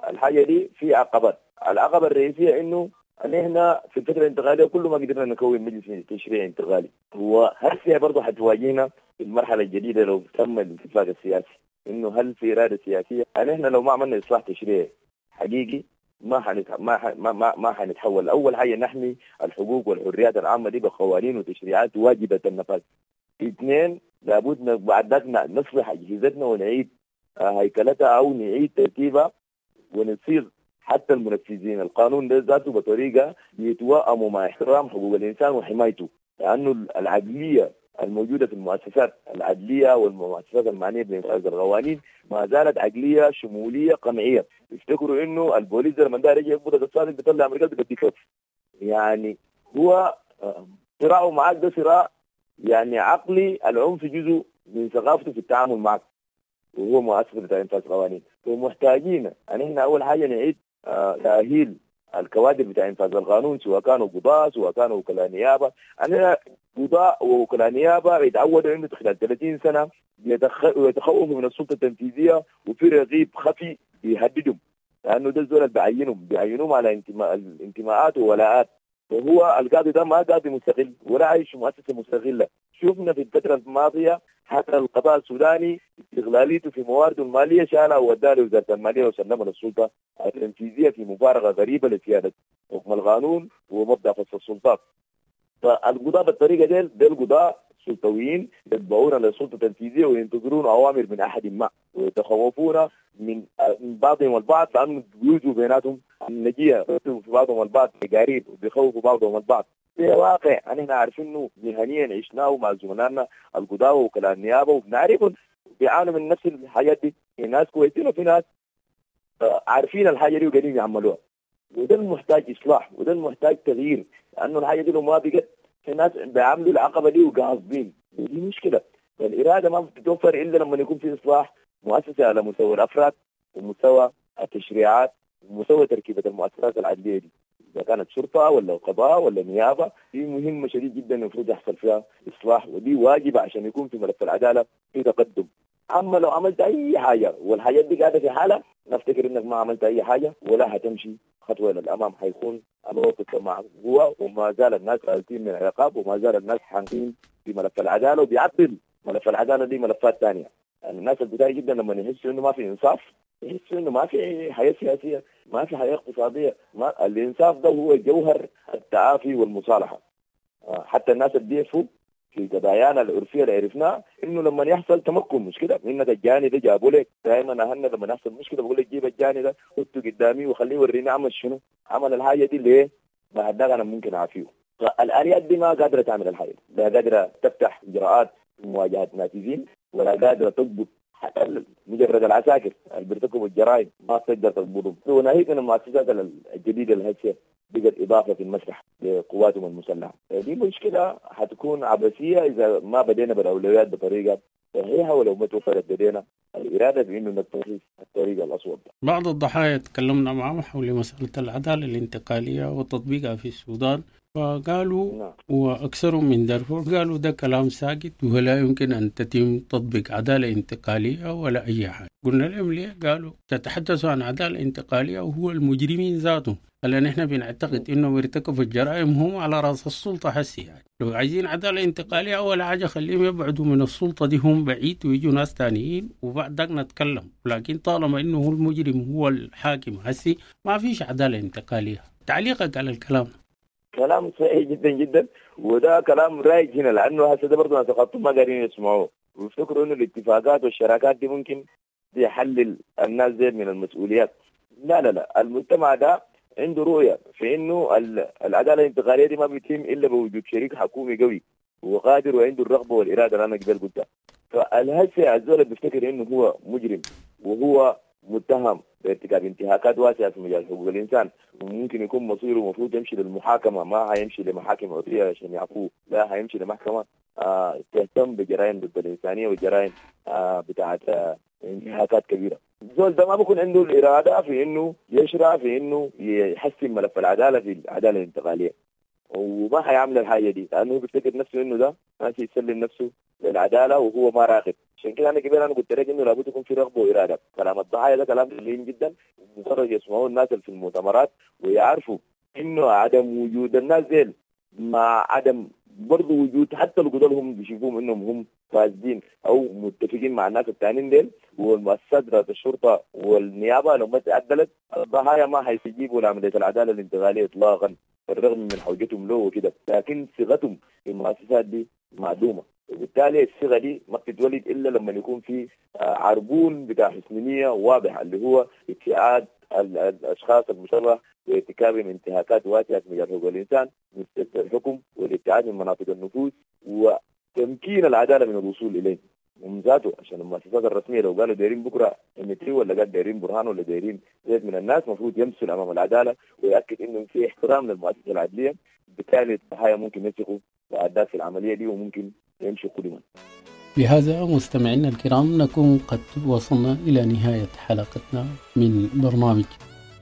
الحاجة دي في عقبات، العقبة الرئيسية إنه نحن في الفترة الانتقالية كل ما قدرنا نكون مجلس تشريعي انتقالي، وهسه برضه حتواجهنا في المرحلة الجديدة لو تم الاتفاق السياسي، إنه هل في إرادة سياسية؟ نحن لو ما عملنا إصلاح تشريعي حقيقي ما حنت... ما ح... ما ما, ما حنتحول. أول حاجة نحمي الحقوق والحريات العامة دي بقوانين وتشريعات واجبة النفاذ. اثنين، لابد بعد ذاك نصلح أجهزتنا ونعيد هيكلتها أو نعيد ترتيبها ونصيغ حتى المنفذين القانون ده ذاته بطريقة يتوائموا مع احترام حقوق الإنسان وحمايته، لأنه العدلية الموجودة في المؤسسات العدلية والمؤسسات المعنية بإنفاذ القوانين ما زالت عقلية شمولية قمعية. يفتكروا إنه البوليس لما دار يجي يقبض الصادق بيطلع أمريكا بيديك كف، يعني هو صراعه معاك ده صراع يعني عقلي. العنف جزء من ثقافته في التعامل معك، وهو مؤسسة بتاع إنفاذ قوانين. ومحتاجين أن إحنا أول حاجة نعيد تأهيل الكوادر بتاع إنفاذ القانون، سواء كانوا قضاة سواء كانوا وكلاء نيابة. أنا قضاء ووكلاء نيابة يتعودوا إنه خلال ثلاثين سنة يتخوفوا من السلطة التنفيذية، وفي رغيب خفي يهددهم، لأنه ده الزول اللي بعينهم بيعينهم على انتماء الانتماءات وولاءات. فهو القاضي ده ما قاضي مستقل ولا عايش مؤسسة مستقلة. شفنا في الفترة الماضية حتى القضاء السوداني استغلاليته في موارده المالية شالها ووداها لوزارة المالية وسلمها للسلطة التنفيذية في مفارقة غريبة لسيادة حكم القانون ومبدأ فصل السلطات. فالقضاء بالطريقة ديل ديل قضاء سلطويين يتبعون للسلطة التنفيذية وينتظرون أوامر من أحد ما، ويتخوفون من بعضهم البعض لأنه بيوجوا بيناتهم النجية في بعضهم البعض تقارير وبيخوفوا بعضهم البعض. ده واقع احنا عارفين انه مهنيا عشناه مع زملائنا القضاة ووكلاء النيابة، وبنعرفهم بيعانوا من نفس الحاجات دي. في ناس كويسين وفي ناس عارفين الحاجة دي وقاعدين يعملوها، وده المحتاج إصلاح وده المحتاج تغيير، لأنه الحاجة دي لو ما بقت في ناس بيعملوا العقبة دي وقاصدين، ودي مشكلة. فالإرادة ما بتتوفر إلا لما يكون في إصلاح مؤسسة على مستوى الأفراد ومستوى التشريعات ومستوى تركيبة المؤسسات العدلية دي، إذا كانت شرطة ولا قضاء ولا نيابة. دي مهمة شديد جدا المفروض يحصل فيها إصلاح، ودي واجبة عشان يكون في ملف العدالة في تقدم. أما لو عملت أي حاجة والحاجات دي قاعدة في حالة، نفتكر إنك ما عملت أي حاجة ولا هتمشي خطوة إلى الأمام، حيكون الموقف مع قوة، وما زال الناس خايفين من العقاب، وما زال الناس حانقين في ملف العدالة وبيعطل ملف العدالة دي ملفات ثانية. يعني الناس البداية جدا لما يحسوا إنه ما في إنصاف، يحسوا إنه ما في حياة سياسية، ما في حياة اقتصادية. ما الإنصاف ده هو جوهر التعافي والمصالحة. حتى الناس اللي بيعفوا في قضايانا العرفية اللي عرفناها إنه لما يحصل تمكن مش كده، إنك الجاني ده جابوا لك دائما. أهلنا لما يحصل مشكلة بقول لك جيب الجاني ده حطه قدامي وخليه يوريني عمل شنو، عمل الحاجة دي ليه، بعد ده أنا ممكن أعفيه. فالآليات دي ما قادرة تعمل الحاجة، لا قادرة تفتح إجراءات مواجهة نافذين، ولا قادرة تضبط حتى مجرد العساكر اللي بيرتكبوا الجرائم ما تقدر تضبطهم. وناهيك من المؤسسات الجديدة الهشة بقت إضافة في المسرح لقواتهم المسلحة. دي مشكلة حتكون عبثية إذا ما بدينا بالأولويات بطريقة صحيحة، ولو ما توفرت لدينا الإرادة بأنه نتخذ الطريقة الأصوب. بعض الضحايا تكلمنا معهم حول مسألة العدالة الانتقالية وتطبيقها في السودان، فقالوا نعم. وأكثرهم من دارفور قالوا ده كلام ساكت ولا يمكن أن تتم تطبيق عدالة انتقالية ولا أي حاجة. قلنا لهم ليه؟ قالوا تتحدثوا عن عدالة انتقالية وهو المجرمين ذاتهم اللي نحن بنعتقد إنهم ارتكبوا الجرائم هم على رأس السلطة حسي. يعني لو عايزين عدالة انتقالية أول حاجة خليهم يبعدوا من السلطة دي، هم بعيد ويجوا ناس تانيين وبعد ذاك نتكلم. ولكن طالما إنه هو المجرم هو الحاكم حسي ما فيش عدالة انتقالية. تعليقك على الكلام؟ كلام صحيح جدا جدا، وده كلام رايج هنا، لأنه هسه ده برضه ناس الخرطوم ما قادرين يسمعوه ويفتكروا إنه الاتفاقات والشراكات دي ممكن تحلل الناس دي من المسؤوليات. لا لا لا، المجتمع ده عنده رؤية في إنه العدالة الانتقالية دي ما بيتم إلا بوجود شريك حكومي قوي وقادر وعنده الرغبة والإرادة اللي أنا قبل قلتها. فالهسه الزول بيفتكر إنه هو مجرم وهو متهم بارتكاب انتهاكات واسعة في مجال حقوق الإنسان، وممكن يكون مصيره المفروض يمشي للمحاكمة، ما هيمشي لمحاكم عرفية عشان يعفوه، لا هيمشي لمحكمة آه تهتم بجرائم ضد الإنسانية وجرائم آه بتاعت آه انتهاكات كبيرة. الزول ده ما بيكون عنده الإرادة في إنه يشرع في إنه يحسن ملف العدالة في العدالة الانتقالية، وما هيعمل الحاجة دي لأنه بيفتكر نفسه إنه ده ماشي يسلم نفسه للعدالة وهو ما راغب. عشان كده انا قبل انا قلت لك انه لابد يكون في رغبة واراده. كلام الضحايا ده كلام سليم جدا، مجرد يسمعوه الناس في المؤتمرات ويعرفوا انه عدم وجود الناس ديل مع عدم برضه وجود حتى القضاة هم بيشوفوهم انهم هم فاسدين او متفقين مع الناس الثانيين ديل، والمؤسسات ذات الشرطة والنيابه لو ما تعدلت الضحايا ما حيستجيبوا لعملية العدالة الانتقالية اطلاقا، بالرغم من حوجتهم له وكده، لكن ثقتهم في المؤسسات دي معدومة، وبالتالي الثقة دي ما بتتولد الا لما يكون في عربون بتاع حسن نيه واضح اللي هو ابتعاد الاشخاص المشبه بارتكابهم انتهاكات واسعة في مجال حقوق الانسان من الحكم والابتعاد من مناطق النفوذ وتمكين العدالة من الوصول اليه هم ذاته. عشان المؤسسات الرسمية لو قالوا دايرين بكره ام ولا قال دايرين برهان ولا دايرين زيد من الناس، المفروض يمثل امام العدالة وياكد انه في احترام للمؤسسه العدليه، بالتالي الضحايا ممكن يثقوا بعد في العملية دي وممكن يمشوا قدما. بهذا مستمعينا الكرام نكون قد وصلنا إلى نهاية حلقتنا من برنامج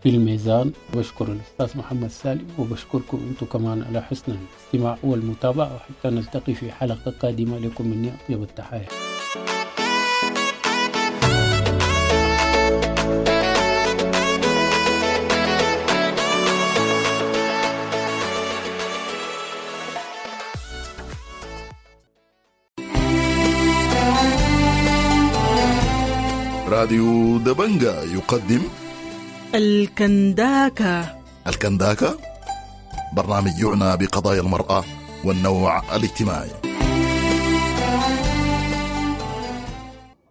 في الميزان. بشكر الأستاذ محمد سالم وبشكركم أنتم كمان على حسن الاستماع والمتابعة، وحتى نلتقي في حلقة قادمة. لكم مني أطيب التحايا. راديو دبنجا يقدم الكنداكة. الكنداكة برنامج يعنى بقضايا المرأة والنوع الاجتماعي.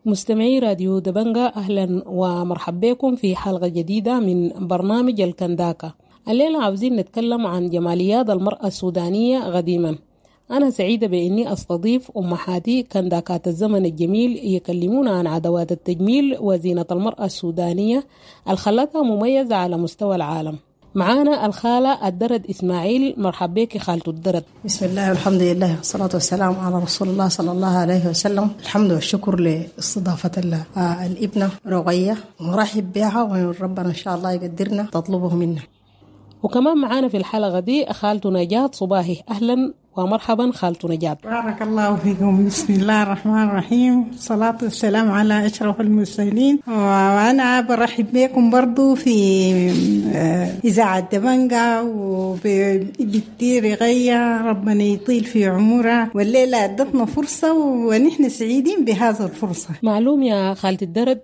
مستمعي راديو دبنجا، أهلا ومرحبا بكم في حلقة جديدة من برنامج الكنداكة. الليلة عاوزين نتكلم عن جماليات المرأة السودانية قديما. أنا سعيدة بإني أستضيف أمهاتي كنداكات الزمن الجميل يكلمون عن عدوات التجميل وزينة المرأة السودانية الخلتها مميزة على مستوى العالم. معانا الخالة الدرد إسماعيل، مرحبا بك خالة الدرد. بسم الله والحمد لله والصلاة والسلام على رسول الله صلى الله عليه وسلم. الحمد والشكر لاستضافة الابنة رقية، ونرحب بها وربنا إن شاء الله يقدرنا تطلبه منا. وكمان معانا في الحلقة دي خالته نجاة صباحي، أهلا ومرحبا خالته نجاة. بارك الله فيكم. بسم الله الرحمن الرحيم، الصلاة والسلام على أشرف المرسلين. وأنا برحب بكم برضو في إذاعة دبنجا وبنتي رغية، ربنا يطيل في عمرها، والليلة أدتنا فرصة ونحن سعيدين بهذا الفرصة. معلوم يا خالة الدرد،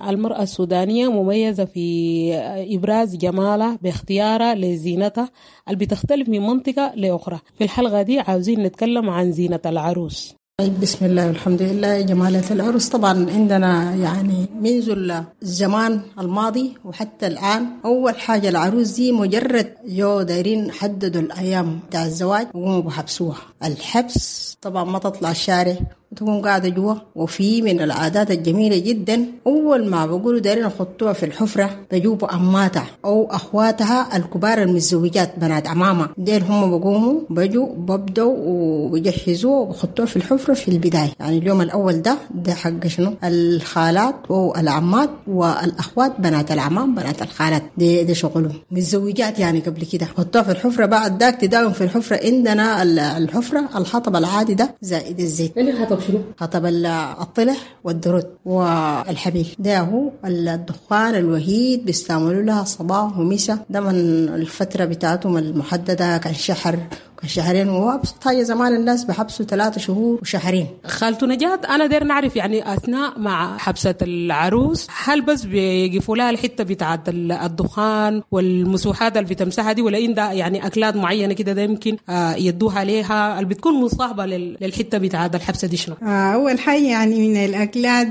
المرأة السودانية مميزة في إبراز جمالها باختيارها لزينتها اللي بتختلف من منطقة لأخرى. في الحلقة دي عاوزين نتكلم عن زينة العروس. طيب، بسم الله والحمد لله. جمالة العروس طبعا عندنا يعني منذ الزمان الماضي وحتى الآن، أول حاجة العروس دي مجرد جو دايرين حددوا الأيام بتاع الزواج وقوموا بحبسوها. الحبس طبعا ما تطلع الشارع وتكون قاعدة جوا. وفي من العادات الجميلة جدا، أول ما بقولوا دايرين يحطوها في الحفرة بجوبوا أماتها أو أخواتها الكبار المتزوجات بنات عمامها ديل، هم بقوموا بجوا ببدوا وبيجهزوها وبحطوها في الحفرة في البداية. يعني اليوم الأول ده ده حق شنو؟ الخالات والعمات والأخوات بنات العمام بنات الخالات، دي ده شغلهم متزوجات يعني قبل كده. حطوها في الحفرة، بعد ذاك تداوم في الحفرة. عندنا الحفرة الحطب العادي ده زائد الزيت. اللي حطب شنو؟ حطب الطلح والدرود والحبيل، ده هو الدخان الوحيد بيستعملوا لها صباح ومساء. ده من الفترة بتاعتهم المحددة، كان شهر كان شهرين، وأبسط حاجة زمان الناس بحبسوا ثلاثة شهور وشهرين. خالته نجاة، أنا داير نعرف يعني أثناء مع حبسة العروس هل بس بيقفوا لها الحتة بتاعت الدخان والمسوحات اللي بتمسحها دي، ولا إن ده يعني أكلات معينة كده ده يمكن يدوها عليها اللي بتكون مصاحبة للحتة بتاعت الحبسة دي شنو؟ أول حاجة يعني من الأكلات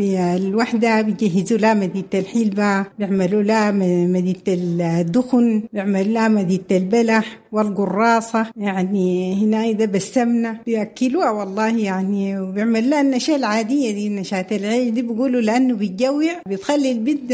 الوحدة بيجهزوا لها مدينة الحلبة، بيعملوا لها مدينة الدخن، بيعملوا لها مدينة البلح والقراصة، يعني هنا ده بالسمنة بيأكلوها والله يعني. وبيعمل لها النشاة العادية دي، نشاة العيش دي بيقولوا لأنه بتجوع بتخلي البنت،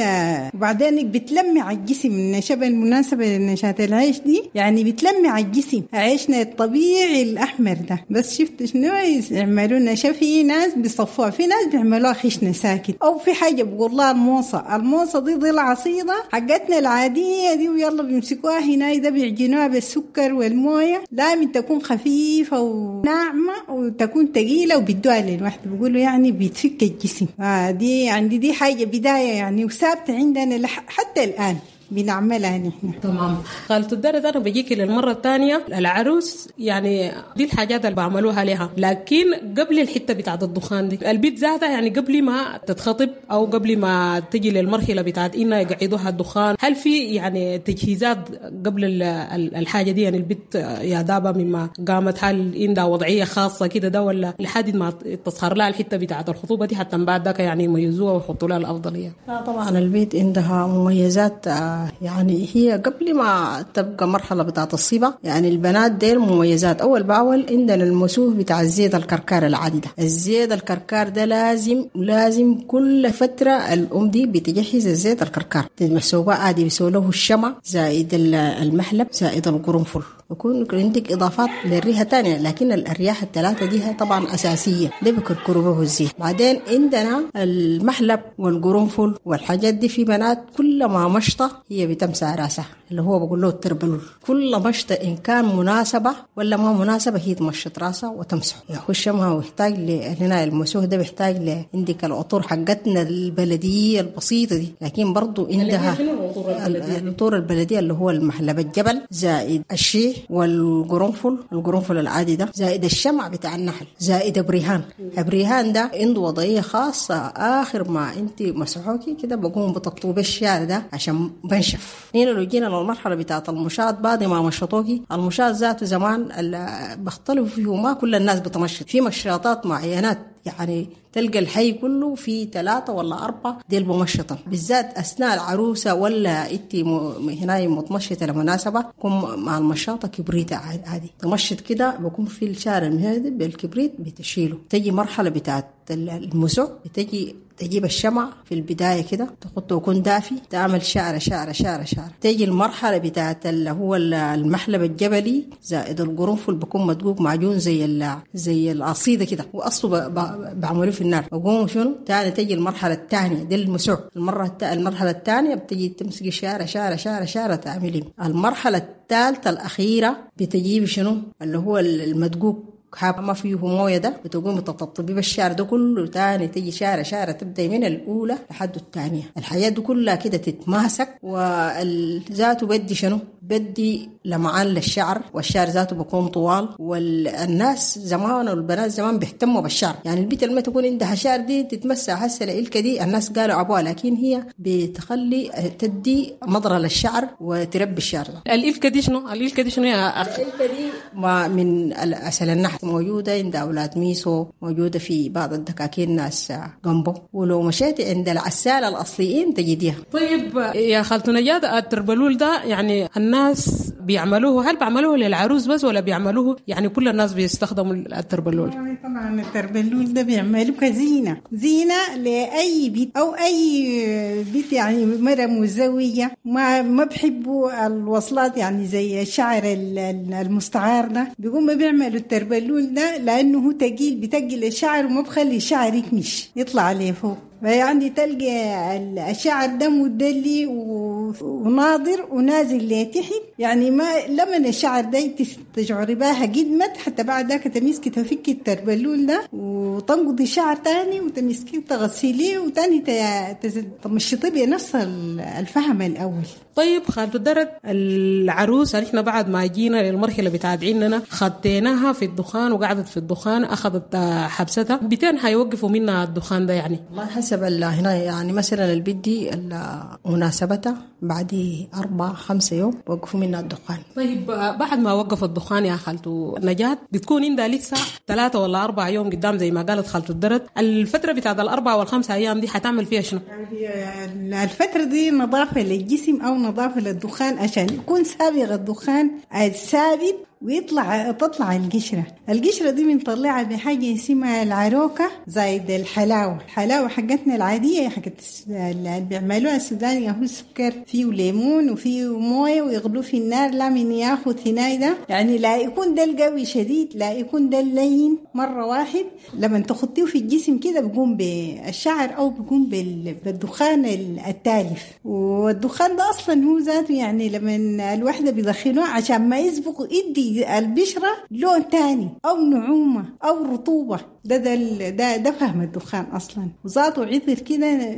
وبعدين بتلمع الجسم. النشاة بالمناسبة نشاة العيش دي يعني بتلمع الجسم، عيشنا الطبيعي الأحمر ده. بس شفت شنو يعملوا نشاة؟ في ناس بيصفوها، في ناس بيعملوها خشنة ساكت، أو في حاجة بقول لها الموصة. الموصة دي دي العصيدة حقتنا العادية دي، ويلا بيمسكوها هنا ده بيعجنوها بالسكر والموية لازم تكون خفيفة وناعمة وتكون ثقيلة وبيدوها للوحدة، بيقولوا يعني بتفك الجسم. دي يعني دي حاجة بداية يعني وثابتة عندنا حتى الآن بنعملها نحن. تمام. خالة الدرد أنا بجيكي للمرة الثانية. العروس يعني دي الحاجات اللي بعملوها لها، لكن قبل الحتة بتاعة الدخان دي البيت ذاتها يعني قبل ما تتخطب أو قبل ما تجي للمرحلة بتاعة إنها يقعدوها الدخان، هل في يعني تجهيزات قبل الحاجة دي؟ يعني البيت يا دابة مما قامت هل عندها وضعية خاصة كده ده ولا لحد ما تظهر لها الحتة بتاعة الخطوبة دي حتى بعد ذاك يعني يميزوها ويحطوا لها الأفضلية؟ لا طبعا البيت عندها مميزات، يعني هي قبل ما تبقى مرحلة بتاعة الصبا يعني البنات ديل مميزات. أول بأول عندنا المسوح بتاع الزيت الكركار العادي ده، الزيت الكركار ده لازم لازم كل فترة الأم دي بتجهز الزيت الكركار المحسوبة عادي، بيسووا له الشمع زائد المحلب زائد القرنفل، يكون عندك إضافات للريحة تانية، لكن الأرياح الثلاثة دي طبعا أساسية، ده بيكركروا به الزيت. بعدين عندنا المحلب والقرنفل والحاجات دي في بنات كل ما مشطة هي بتمسح راسها اللي هو بقول له التربلول، كل مشطة إن كان مناسبة ولا ما مناسبة هي تمشط راسها وتمسحه، يخش شمها ويحتاج هنا المسوح ده بيحتاج ل عندك العطور حقتنا البلدية البسيطة دي، لكن برضو عندها العطور البلدية اللي هو المحلب الجبل زائد الشيح والقرنفل، القرنفل العادي ده زائد الشمع بتاع النحل زائد بريهان. بريهان ده عنده وضعية خاصة، آخر ما انت مسحوكي كده بقوم بتطوب الشعر ده عشان بنشف. هنا لو جينا للمرحلة بتاعة المشاط بعد ما مشطوكي، المشاط ذاته زمان بختلفوا فيه، ما كل الناس بتمشط، في مشاطات معينات يعني تلقى الحي كله في ثلاثة ولا أربعة ديل بمشطة، بالذات أثناء العروسة ولا إنتي هنا متمشطة لمناسبة كم مع المشاطة كبريت عادي تمشط كده بكون في الشعر المهدي بالكبريت بتشيله. تجي مرحلة بتاعت المسوح بتجي تجيب الشمع في البداية كده تحطه يكون دافي، تعمل شعرة شعرة شعرة شعرة. تيجي المرحلة بتاعت اللي هو المحلب الجبلي زائد القرنفل بكون مدقوق معجون زي زي العصيدة كده، وأصله بعملوه في النار وقوم شنو. تاني تيجي المرحلة الثانية دي المسوح، المرة الت... المرحلة الثانية بتجي تمسكي شعرة شعرة شعرة شعرة تعملي. المرحلة الثالثة الأخيرة بتجيب شنو اللي هو المدقوق ما فيه مويه ده، بتقوم تطبطبي بالشعر ده كله. تاني تيجي شعره شعره تبدا من الاولى لحد الثانيه، الحياه دي كلها كده تتماسك، وذاته بدي شنو بدي لمعان للشعر، والشعر ذاته بيكون طوال. والناس زمان والبنات زمان بيهتموا بالشعر، يعني البيت لما تكون عندها شعر دي تتمسح هسه العلكه دي الناس قالوا عبوها، لكن هي بتخلي تدي نظره للشعر وتربي الشعر ده. الإلكة دي شنو؟ الإلكة دي شنو يا أخي؟ الإلكة دي ما من عسل النحل، موجودة عند أولاد ميسو، موجودة في بعض الدكاكين ناس جنبه، ولو مشيت عند العسالة الأصليين تجديها. طيب يا خالتو نجاة، التربلول ده يعني الناس بيعملوه، هل بيعملوه للعروس بس ولا بيعملوه يعني كل الناس بيستخدموا التربلول؟ طبعا التربلول ده بيعملوه كزينة، زينة لأي بيت أو أي بيت يعني مرة مزوجة ما ما بحبوا الوصلات يعني زي الشعر المستعار ده، بيقوموا بيعملوا التربلول ده لأنه هو تقيل، بتقل الشعر وما بخلي الشعر يكمش يطلع عليه فوق، فيعني تلقى الشعر ده مدلي وناظر ونازل لتحت، يعني ما لما الشعر ده تشعري بها قدمت حتى بعد ذاك تمسكي تفكي التربلول ده وتنقضي الشعر تاني وتمسكي تغسليه وتاني تمشطيه بنفس الفهم الأول. طيب خالتو درد، العروس نحن بعد ما جينا للمرحلة بتاعت عيننا خديناها في الدخان وقعدت في الدخان أخذت حبستها، بتين حيوقفوا منها الدخان ده يعني؟ والله حسب هنا يعني مثلا البيت دي مناسبتها بعد أربع خمسة يوم وقفوا منها الدخان. طيب بعد ما وقف الدخان يا خالتو نجاة بتكون عندها لسه ثلاثة ولا أربع يوم قدام زي ما قالت خالتو الدرد، الفترة بتاعت الأربع والخمسة أيام دي حتعمل فيها شنو؟ الفترة دي نظافة للجسم أو نظافة للدخان عشان يكون سابق الدخان الثابت ويطلع تطلع القشرة. القشرة دي بنطلعها بحاجة اسمها العروكة زائد الحلاوة. الحلاوة حقتنا العادية حقت اللي بيعملوها السوداني هو سكر فيه ليمون وفيه موية ويغلوه في النار لا من ياخد هناي ده، يعني لا يكون ده القوي شديد لا يكون ده اللين مرة واحد. لما تخطيه في الجسم كده بيقوم بالشعر أو بيقوم بالدخان التالف. والدخان ده أصلا هو ذاته يعني لما الواحدة بيدخنوه عشان ما يسبق يدي بيدي البشرة لون تاني أو نعومة أو رطوبة. ده ده ده, ده فهم الدخان أصلا، وذاته عطر كده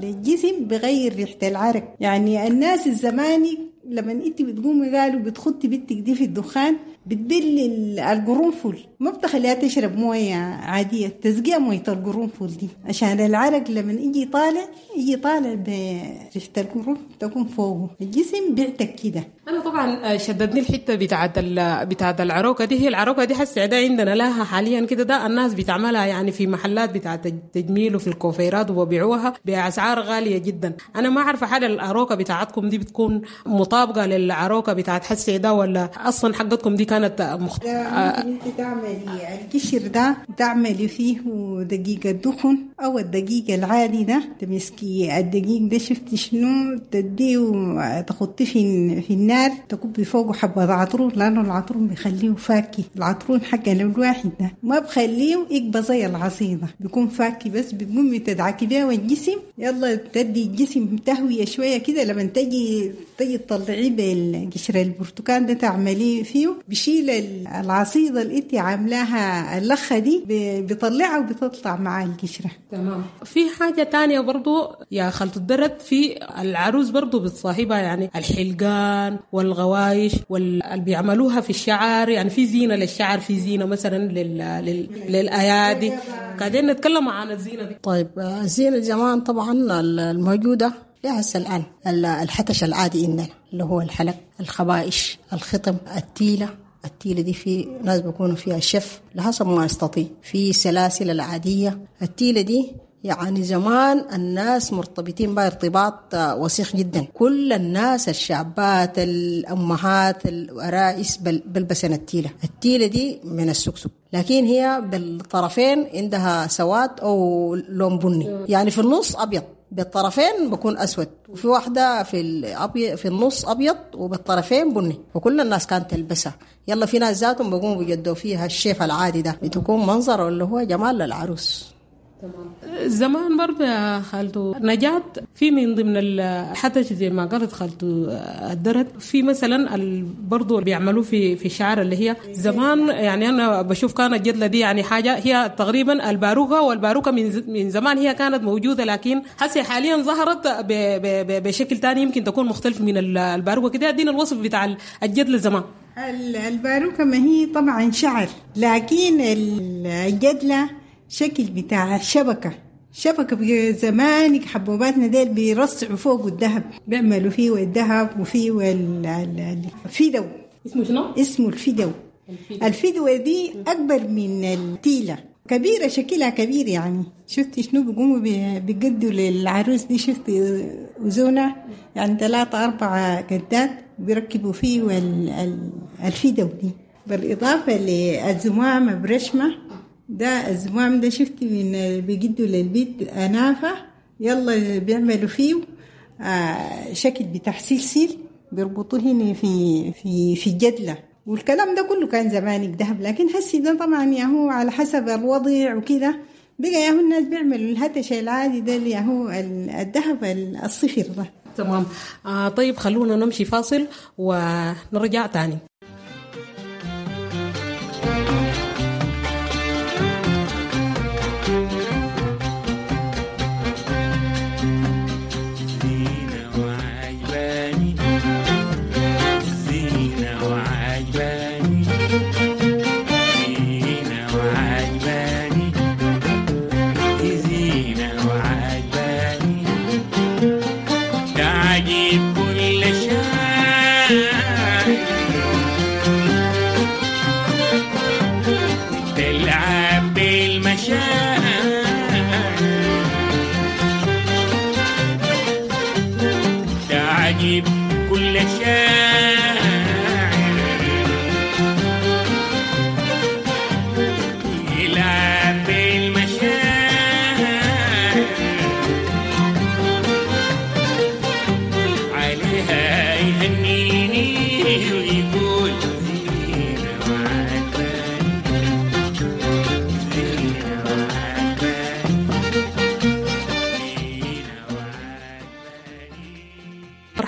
للجسم بغير ريحة العرق. يعني الناس الزماني لما انت بتقومي قالوا بتخطي بنتك دي في الدخان بتبل القرنفل، ما بتخليها تشرب مويه عاديه، تسقيها مويه القرنفل دي عشان العرق لما يجي طالع يجي طالع بريحه القرنفل تكون فوقه الجسم بيعتك كده. انا طبعا شددني الحته بتاعه بتاعه العروكه دي، هي العروكه دي حسي ده عندنا لها حاليا كده، ده الناس بتعملها يعني في محلات بتاعه التجميل وفي الكوفيرات وبيعوها باسعار غاليه جدا. انا ما عارفه حال العروكه بتاعتكم دي بتكون مطابقه للعروكه بتاعه حسي ده ولا اصلا حقتكم دي كانت مخت... انت تعملي القشر ده تعملي فيه دقيق الدخن او الدقيق العادي ده، تمسكي الدقيق ده شفتي شنو تديه تحطيه في في النار، تكبي فوقه حبة عطرون لانه العطرون بيخليه فاكي، العطرون حق الواحد ده ما بخليه يقبى زي العصيده، بيكون فاكي بس بتقومي تدعكي بيه والجسم يلا تدي الجسم تهويه شويه كده. لما تجي تجي تطلعيه بالقشر البرتقال ده تعمليه فيه بشيل العصيده اللي انت عاملاها اللخه دي بيطلعها وبتطلع مع القشره. تمام. في حاجه تانية برضو يا خالة الدرد، في العروس برضو بتصاحبها يعني الحلقان والغوايش واللي بيعملوها في الشعر، يعني في زينه للشعر، في زينه مثلا لل... لل... للايادي. قاعدين نتكلم عن الزينه دي. طيب الزينه زمان طبعا الموجوده لها الآن الحتش العادي عندنا اللي هو الحلق، الخبائش، الخطم، التيلة. التيلة دي في ناس بيكونوا فيها شف لحسب ما يستطيع، في سلاسل العادية. التيلة دي يعني زمان الناس مرتبطين بها ارتباط وثيق جدا، كل الناس الشابات الأمهات الرائس بلبسن التيلة. التيلة دي من السكسك، لكن هي بالطرفين عندها سواد أو لون بني، يعني في النص أبيض بالطرفين بكون أسود، وفي واحدة في الأبيض في النص أبيض وبالطرفين بني، وكل الناس كانت تلبسها. يلا في ناس ذاتهم بيقوموا بيجدوا فيها الشيف العادي ده، بتكون منظر اللي هو جمال للعروس. تمام. زمان برضه يا خالته نجاة في من ضمن الحتش زي ما قالت خالته الدرد، في مثلا برضه بيعملوه في في الشعر اللي هي زمان، يعني انا بشوف كانت الجدله دي يعني حاجه هي تقريبا الباروكه، والباروكه من من زمان هي كانت موجوده، لكن هسه حاليا ظهرت بشكل ثاني يمكن تكون مختلف من الباروكه كده. ادينا الوصف بتاع الجدله زمان. الباروكه ما هي طبعا شعر، لكن الجدله شكل بتاع الشبكة، شبكة زمان حبوباتنا ديل بيرصعوا فوق الذهب، بيعملوا فيه الذهب وفيه الفدو. اسمه شنو؟ اسمه الفدو. الفدوة دي أكبر من التيلة، كبيرة شكلها كبير يعني. شفتي شنو بيقوموا بيقدوا للعروس دي، شفتي وزونة يعني ثلاثة أربعة قدات بيركبوا فيه الفدو دي، بالإضافة للزمامة برشمة. ده الزمام ده شفتي من بيجدوا للبيت أنافة، يلا بيعملوا فيه آه شكل بتاع سلسل بيربطوه هنا في في في الجدلة. والكلام ده كله كان زمانك ذهب، لكن هسي ده طبعا يا هو على حسب الوضع وكده بقى يا هو الناس بيعملوا الهتش العادي ده اللي هو الذهب الصفر ده. تمام. آه طيب خلونا نمشي فاصل ونرجع تاني.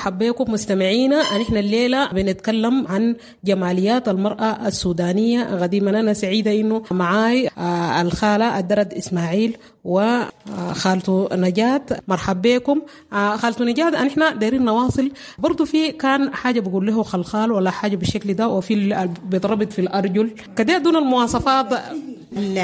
ومرحبا بكم مستمعينا. نحن الليلة بنتكلم عن جماليات المرأة السودانية قديما. أنا سعيدة إنه معاي الخالة الدرد إسماعيل وخالته نجاة. مرحبا بكم خالته نجاة. نحن دايرين نواصل برضو، في كان حاجة بقول له خلخال ولا حاجة بالشكل ده، وفي بيتربط في الأرجل كده دون المواصفات.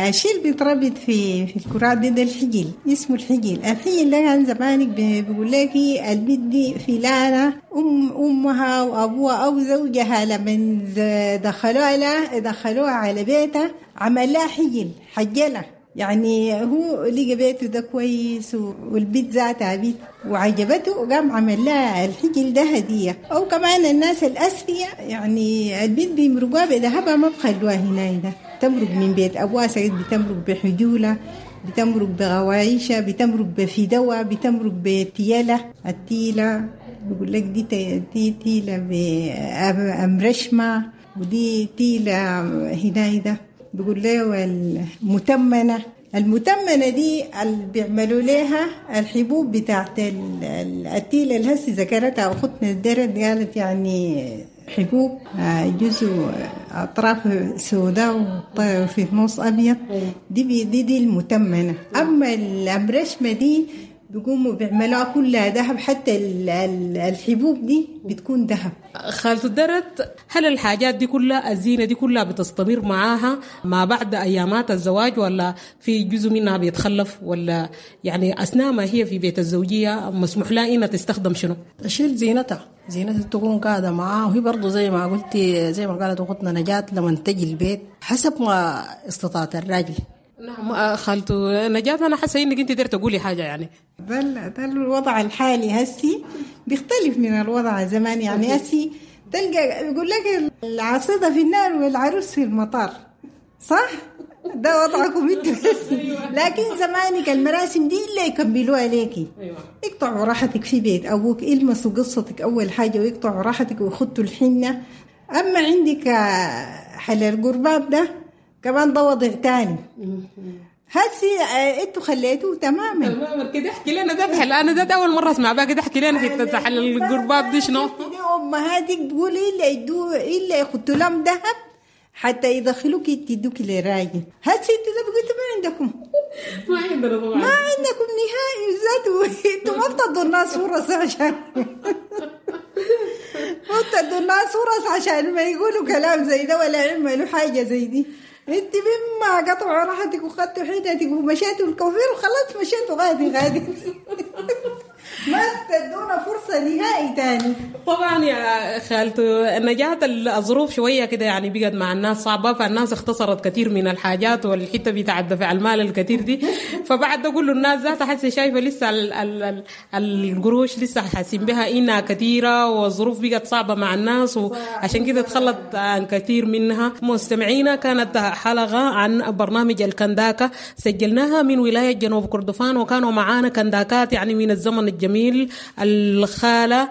الشيء اللي بيتربط في في الكرات دي ده الحجل، اسمه الحجل. الحجل ده كان زمانك بيقول لك البنت دي فلانة أم أمها وأبوها أو زوجها لما دخلوها لها دخلوها على بيتها عمل لها حجل، حجلها. يعني هو لقى بيته ده كويس والبيت ذاتها بيت وعجبته وقام عمل لها الحجل ده هدية. أو كمان الناس الأثرياء يعني البيت بيمرقوها بذهبها ما بخلوها هنا، ده تمرق من بيت أبوها سعيد، بتمرق بحجولة، بتمرق بغوايشة، بتمرق بفدوة، بتمرق بتيلة. التيلة بيقول لك دي دي تيلة بأمرشمة، ودي تيلة هنا ده بيقول له المتمنة. المتمنة دي اللي بيعملوا لها الحبوب بتاعت التيلة اللي هسي ذكرتها أختنا الدرد، قالت يعني حبوب جزء أطراف سوداء وفي النص أبيض، دي دي دي المتمنة. أما الأمرشمة دي بيقوموا بيعملوها كلها ذهب، حتى الحبوب دي بتكون ذهب. خالة الدرد، هل الحاجات دي كلها الزينة دي كلها بتستمر معاها ما بعد أيامات الزواج، ولا في جزء منها بيتخلف، ولا يعني أثناء ما هي في بيت الزوجية مسموح لها إنها تستخدم شنو؟ تشيل زينتها، زينتها تكون قاعدة معاه. وهي برضو زي ما قلتي، زي ما قالت أختنا نجاة، لما تجي البيت حسب ما استطاعت الراجل. نعم خالته نجاة، أنا حاسة إنك أنت قدرت تقولي حاجة يعني. ده ده الوضع الحالي هسي بيختلف من الوضع زمان. يعني هسي تلقى يقول لك العصيدة في النار والعروس في المطار، صح؟ ده وضعكم انتوا هسي. لكن زمانك المراسم دي اللي يكملوها ليكي، يقطعوا راحتك في بيت أبوك، يلمسوا قصتك أول حاجة ويقطعوا راحتك ويخطوا الحنة. أما عندك حل القرباب ده كمان ده وضع تاني. هسي انتوا خليتوه تماما تماما كده. احكي لنا ده حل، انا ده اول مره اسمع بقى كده. احكي لنا حته حل القرباب دي شنو؟ امهاتك تقول الا يدو الا يحطوا لهم ذهب حتى يدخلوك تدوك للراجل. هسي انتوا ده بقيتوا ما عندكم، ما عندنا طبعا، ما عندكم نهائي ذاته. انتوا ما بتدوا الناس فرص عشان ما بتدوا الناس فرص عشان ما يقولوا كلام زي ده ولا يعملوا حاجه زي دي. انت مما قطعوا راحتك وخدتوا حيلتك ومشيتوا الكوفير وخلاص مشيتوا غادي غادي ما تدونا فرصة نهائي تاني. طبعا يا خالته نجاة، الظروف شوية كده يعني بقت مع الناس صعبة، فالناس اختصرت كثير من الحاجات والحتة بتاع دفع المال الكثير دي. فبعد ده كله الناس ذاتها حاسة شايفة لسه ال ال القروش لسه حاسين بها إنها كثيرة، والظروف بقت صعبة مع الناس، وعشان كده تخلط عن كثير منها. مستمعينا، كانت حلقة عن برنامج الكنداكة سجلناها من ولاية جنوب كردفان، وكانوا معانا كنداكات يعني من الزمن الجميل، الخالة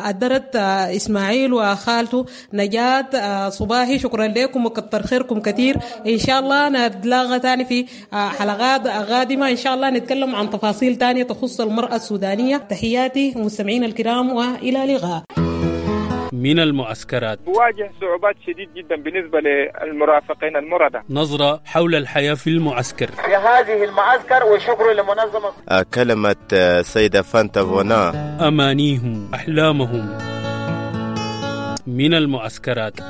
الدرت إسماعيل وخالته نجاة صباحي. شكرا لكم وكتر خيركم كثير. إن شاء الله نتلاقى تاني في حلقات قادمة، إن شاء الله نتكلم عن تفاصيل تانية تخص المرأة السودانية. تحياتي مستمعينا الكرام، وإلى لقاء. من المعسكرات بواجه صعوبات شديد جدا بالنسبة للمرافقين المرضى. نظرة حول الحياة في المعسكر في هذه المعسكر، وشكر لمنظمة كلمة سيدة فانتا فونا. أمانيهم، أحلامهم من المعسكرات.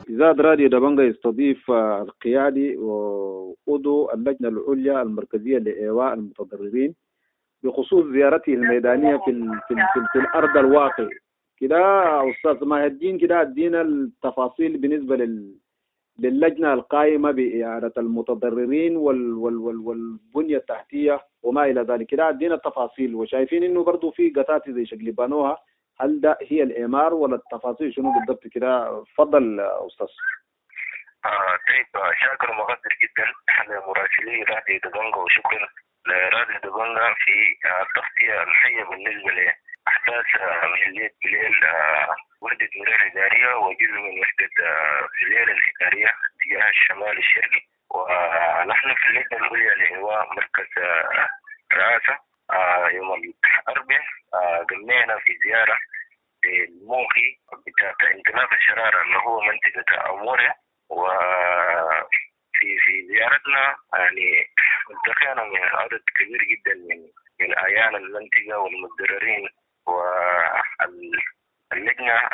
إذاعة راديو دبنجا يستضيف القيادي وعضو اللجنة العليا المركزية لإيواء المتضررين بخصوص زيارته الميدانية في ال في, ال في, ال في الأرض الواقع. كده أستاذ ماهر الدين، كده ادينا التفاصيل بالنسبة لل للجنة القائمة بإعادة المتضررين وال وال وال والبنية التحتية وما إلى ذلك. كده ادينا التفاصيل، وشايفين إنه برضو في قطات زي شكل بانوها، هل ده هي الإعمار ولا التفاصيل شنو بالضبط؟ كده تفضل أستاذ. آه طيب، شاكر ومقدر جدا لمراسلي راديو دبنجا، وشكرا لراديو دبنجا في التغطية الحية بالنسبة لأحداث محلية بليل، وحدة مرير الإدارية وجزء من وحدة بليل الإدارية تجاه الشمال الشرقي. ونحن في اللجنة العليا لإيواء مركز رئاسة آه يوم الأربعاء آه قمنا في زيارة للموقع بتاع انطلاق الشرارة اللي هو منطقة أموريا، وفي في زيارتنا يعني التقينا من عدد كبير جدا من من أعيان المنطقة والمتضررين واللجنة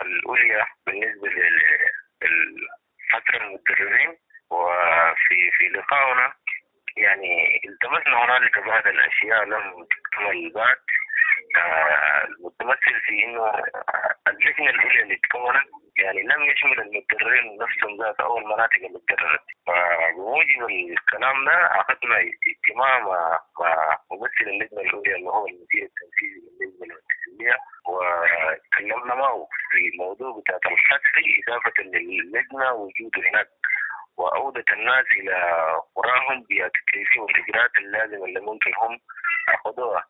العليا بالنسبة للفترة المتضررين. وفي في لقائنا يعني التمسنا هنالك بعض الأشياء لم تكتمل بعد، المتمثل في إنه اللجنة العليا اللي تكونت يعني لم يشمل المتضررين نفسهم ذات أو المناطق اللي تضررت. فبموجب الكلام ده عقدنا اجتماع مع مع ممثل اللجنة العليا اللي هو المدير التنفيذي للجنة التنفيذية، وتكلمنا معه في موضوع بتاع الحصر إضافة للجنة وجوده هناك وعودة الناس إلى قراهم بالتكليف والإجراءات اللازمة اللي ممكن هم أخذوها.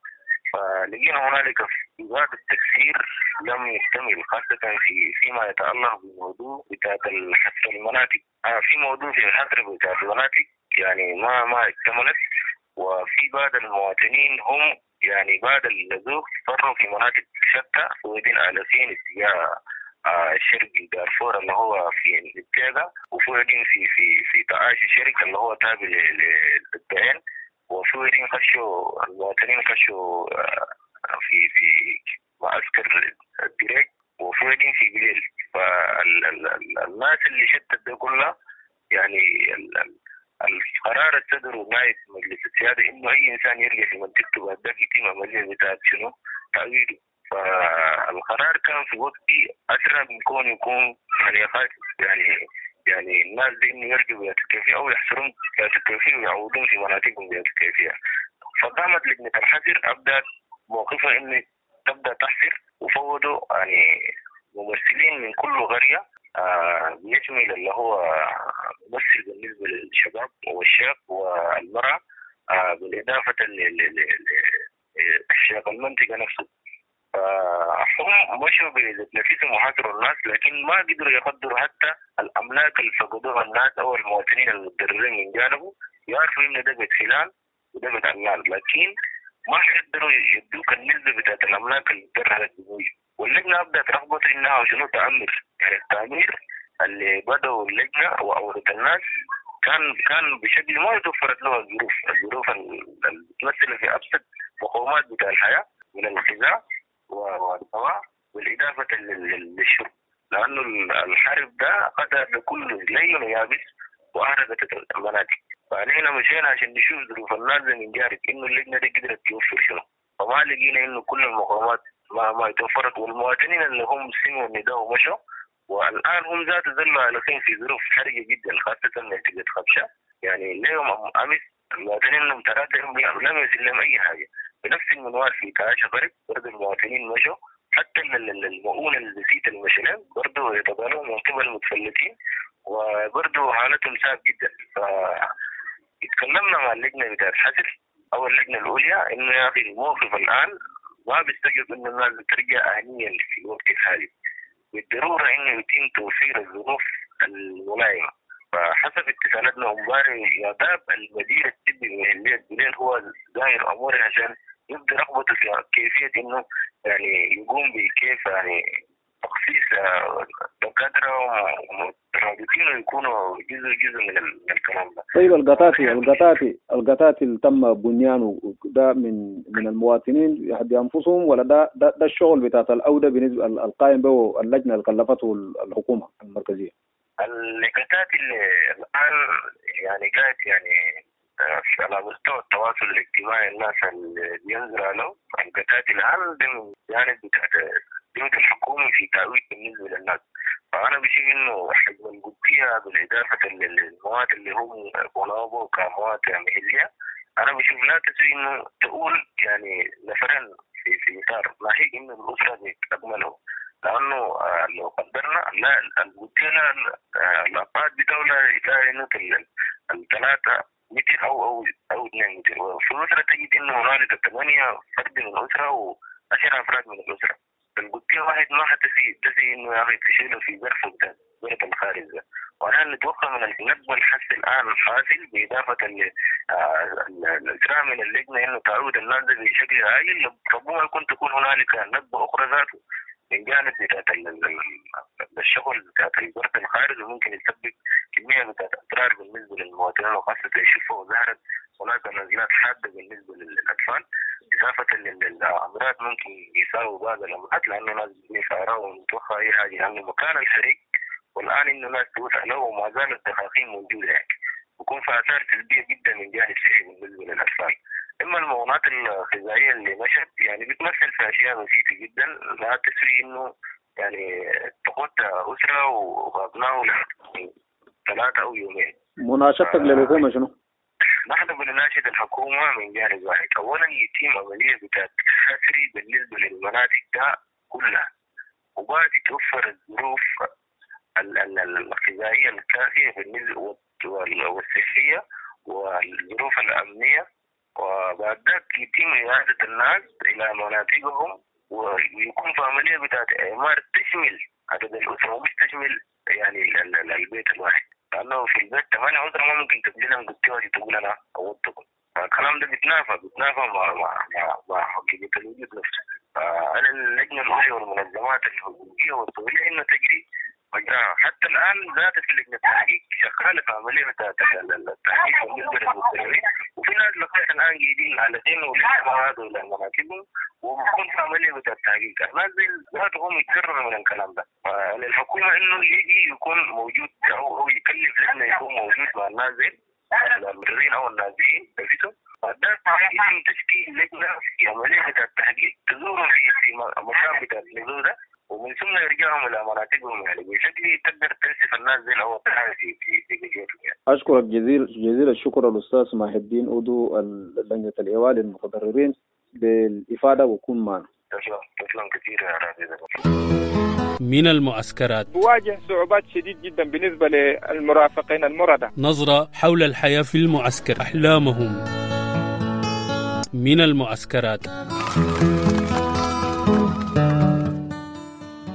فلقينا هنالك في بعض التكسير لم يكتمل، خاصة في فيما يتعلق بموضوع بتاعت الحصر المناطق. آه في موضوع في الحصر بتاعت المناطق يعني ما ما اكتملت، وفي بعض المواطنين هم يعني بعد النزوح فروا في مناطق شتى وبين آلافين اتجاه آه شرق دارفور اللي هو في التاجة، وفوقين في في في تعاش الشرق اللي هو تابع للدهان، وفوقين خشوا المواطنين خشوا آه في في معسكر الدريك، وفوقين في بليل. فالناس اللي شتت ده كلها يعني القرار الصدر نائب مجلس السيادة إنه أي إنسان يرجع في منطقته بعد ذاك يتم عملية بتاعت شنو تعويضه. فالقرار كان في وقتي أسرع من كون يكون يعني يعني يعني الناس دي إنه يرجعوا بيات الكيفية أو يحصرون بيات الكيفية ويعوضون في مناطقهم بيات الكيفية. فقامت لجنة الحصر أبدأت موقفها إنه تبدأ تحصر، وفوضوا يعني ممثلين من كل قرية آه بيشمل اللي هو ممثل بالنسبة للشباب والشاب والمرأة، آه بالإضافة للشيخ المنطقة نفسه. فهم مشوا بنفسهم وحاصروا الناس، لكن ما قدروا يقدروا حتى الأملاك اللي فقدوها الناس أو المواطنين المتضررين من جانبه، يعرفوا إن ده بيت فلان وده بيت علان، لكن ما حيقدروا يدوك النسبة بتاعت الأملاك اللي تضررت بموجب. واللجنة أبدأت رغبة إنها شنو تعمر، يعني التعمير اللي بدأوا اللجنة وأورت الناس كان كان بشكل ما توفرت له الظروف، الظروف المتمثلة في أبسط مقومات بتاع الحياة من الغذاء والدواء والإضافة للشرب، لأنه الحرب ده قتل بكل لين ويابس وأحرقت المناطق. فنحن مشينا عشان نشوف ظروف الناس من جانب إنه اللجنة دي قدرت توفر شنو، فما لقينا إنه كل المقومات ما ما توفرت، والمواطنين اللي هم سمعوا النداء ومشوا والآن هم ذات ظلوا عالقين في ظروف حرجة جدا، خاصة منطقة خبشة. يعني اليوم أمس المواطنين لهم ثلاثة لم يصل لهم أي حاجة. بنفس المنوال في كعاشة غرب برضه المواطنين مشوا، حتى المؤونة البسيطة اللي مشوا لهم برضه يتضالوا من قبل المتفلتين، وبرضه حالتهم صعب جدا. فتكلمنا مع اللجنة بتاعت حسر أو اللجنة العليا إنه يا أخي الموقف الآن ما بيستجب إنه الناس ترجع آنيا في الوقت الحالي، بالضرورة إنه يتم توفير الظروف الملائمة. فحسب اتصالاتنا امبارح يا باب المدير الطبي من البليل هو داير اموره عشان يبدي رغبته في كيفية انه يعني يقوم بكيف يعني تخصيص دكاترة ومترابطين ويكونوا جزء جزء من الكلام ده. طيب القطاطي القطاطي القطاطي اللي تم بنيانه ده من من المواطنين بانفسهم ولا ده ده, ده الشغل بتاع الاوده بالنسبة القائم به اللجنة اللي كلفته الحكومة المركزية؟ النكتات اللي الآن يعني قاعد يعني على مستوى التواصل الاجتماعي الناس اللي بينزلوا له النكتات الآن ده من جانب بتاع جهد الحكومي في تعويض بالنسبة للناس. فأنا بشوف إنه حجم القدسية بالإضافة للمواد اللي هم بولابو وكمواد محلية، أنا بشوف لا تسوي إنه تقول يعني نفرين في في إطار ناهيك إنه الأسرة بتأمله، لأنه لو قدرنا لا القدسية الأبعاد بتولى لا ينوت الثلاثة متر أو أو أو اثنين متر، وفي الأسرة تجد إنه هنالك ثمانية فرد من الأسرة وعشرة أفراد من الأسرة. القدسية واحد ما حتسي تسي إنه يا أخي تشيله في ظرف وبتاع. البرد الخارج ده. ونحن نتوقع من النقب الحس الان الحاصل باضافة للاسراء من اللجنة انه تعود الناس بشكل عاجل، ربما يكون تكون هنالك نقبه اخرى ذاته من جانب بتاعت الشغل بتاعت البرد الخارج، وممكن يسبب كمية بتاعت اضرار بالنسبة للمواطنين، وخاصة الشفه وظهرت هناك نزلات حادة بالنسبة للاطفال، اضافه للامراض ممكن يصابوا بعض الامراض لانه ناس بيشعروا ومتوقع اي حاجة لانه مكان الحريق والان انه ناس توسع له وما زالت الدخاخين موجودة يعني، بيكون في اثار سلبية جدا من جانب صحي بالنسبة للاطفال. اما المعونات الغذائية اللي مشت يعني بتمثل في اشياء بسيطة جدا لا تسوي انه يعني تقوت اسره وابنائه ثلاثة او يومين. مناشدتك للحكومة شنو؟ نحن بنناشد الحكومة من جانب واحد، اولا يتم عملية بتاعت حصري بالنسبة للمناطق ده كلها، وبعد توفر الظروف الغذائية الكافيه بالنسبة والصحية والظروف الامنية، وبعد ذاك يتم إعادة الناس إلى مناطقهم، ويكون في عملية بتاعت إعمار تشمل عدد الأسرة ومش تشمل يعني البيت الواحد، لأنه في البيت ثمانية أسرة ما ممكن تبني لهم قطية تقول أنا عوضتكم، فالكلام ده بيتنافى بيتنافى مع مع مع حقيقة الوجود نفسه. فعلى اللجنة العليا والمنظمات الحقوقية والدولية إنه تجري مجراها. حتى الآن ذات لجنة التحقيق شغالة في عملية بتاعت التحقيق بالنسبة للمتضررين، وفي ناس لغاية الآن جايين حالتين ولسه ما عادوا إلى مناكبهم، وبكون في عملية بتاعت التحقيق. الناس ذاتهم يتكرروا من الكلام ده. فالحكومة إنه يجي يكون موجود أو أو يكلف لجنة يكون موجود مع الناس دي المتضررين أو النازحين نفسهم، بعد يتم تشكيل لجنة في عملية بتاعت التحقيق تزورهم في في مكان بتاع النزول ده، ومن ثم يرجعهم الى مناطقهم يعني بشكل تقدر تنسف الناس زي الاول في في في بيوتهم يعني. اشكرك جزيل جزيل الشكر الاستاذ ماهي الدين عضو لجنة الايواء للمتضررين بالافاده وكون معنا. تسلم تسلم كثير يا رافي. من المعسكرات بواجه صعوبات شديد جدا بالنسبة للمرافقين المرضى. نظره حول الحياة في المعسكر، احلامهم. من المعسكرات.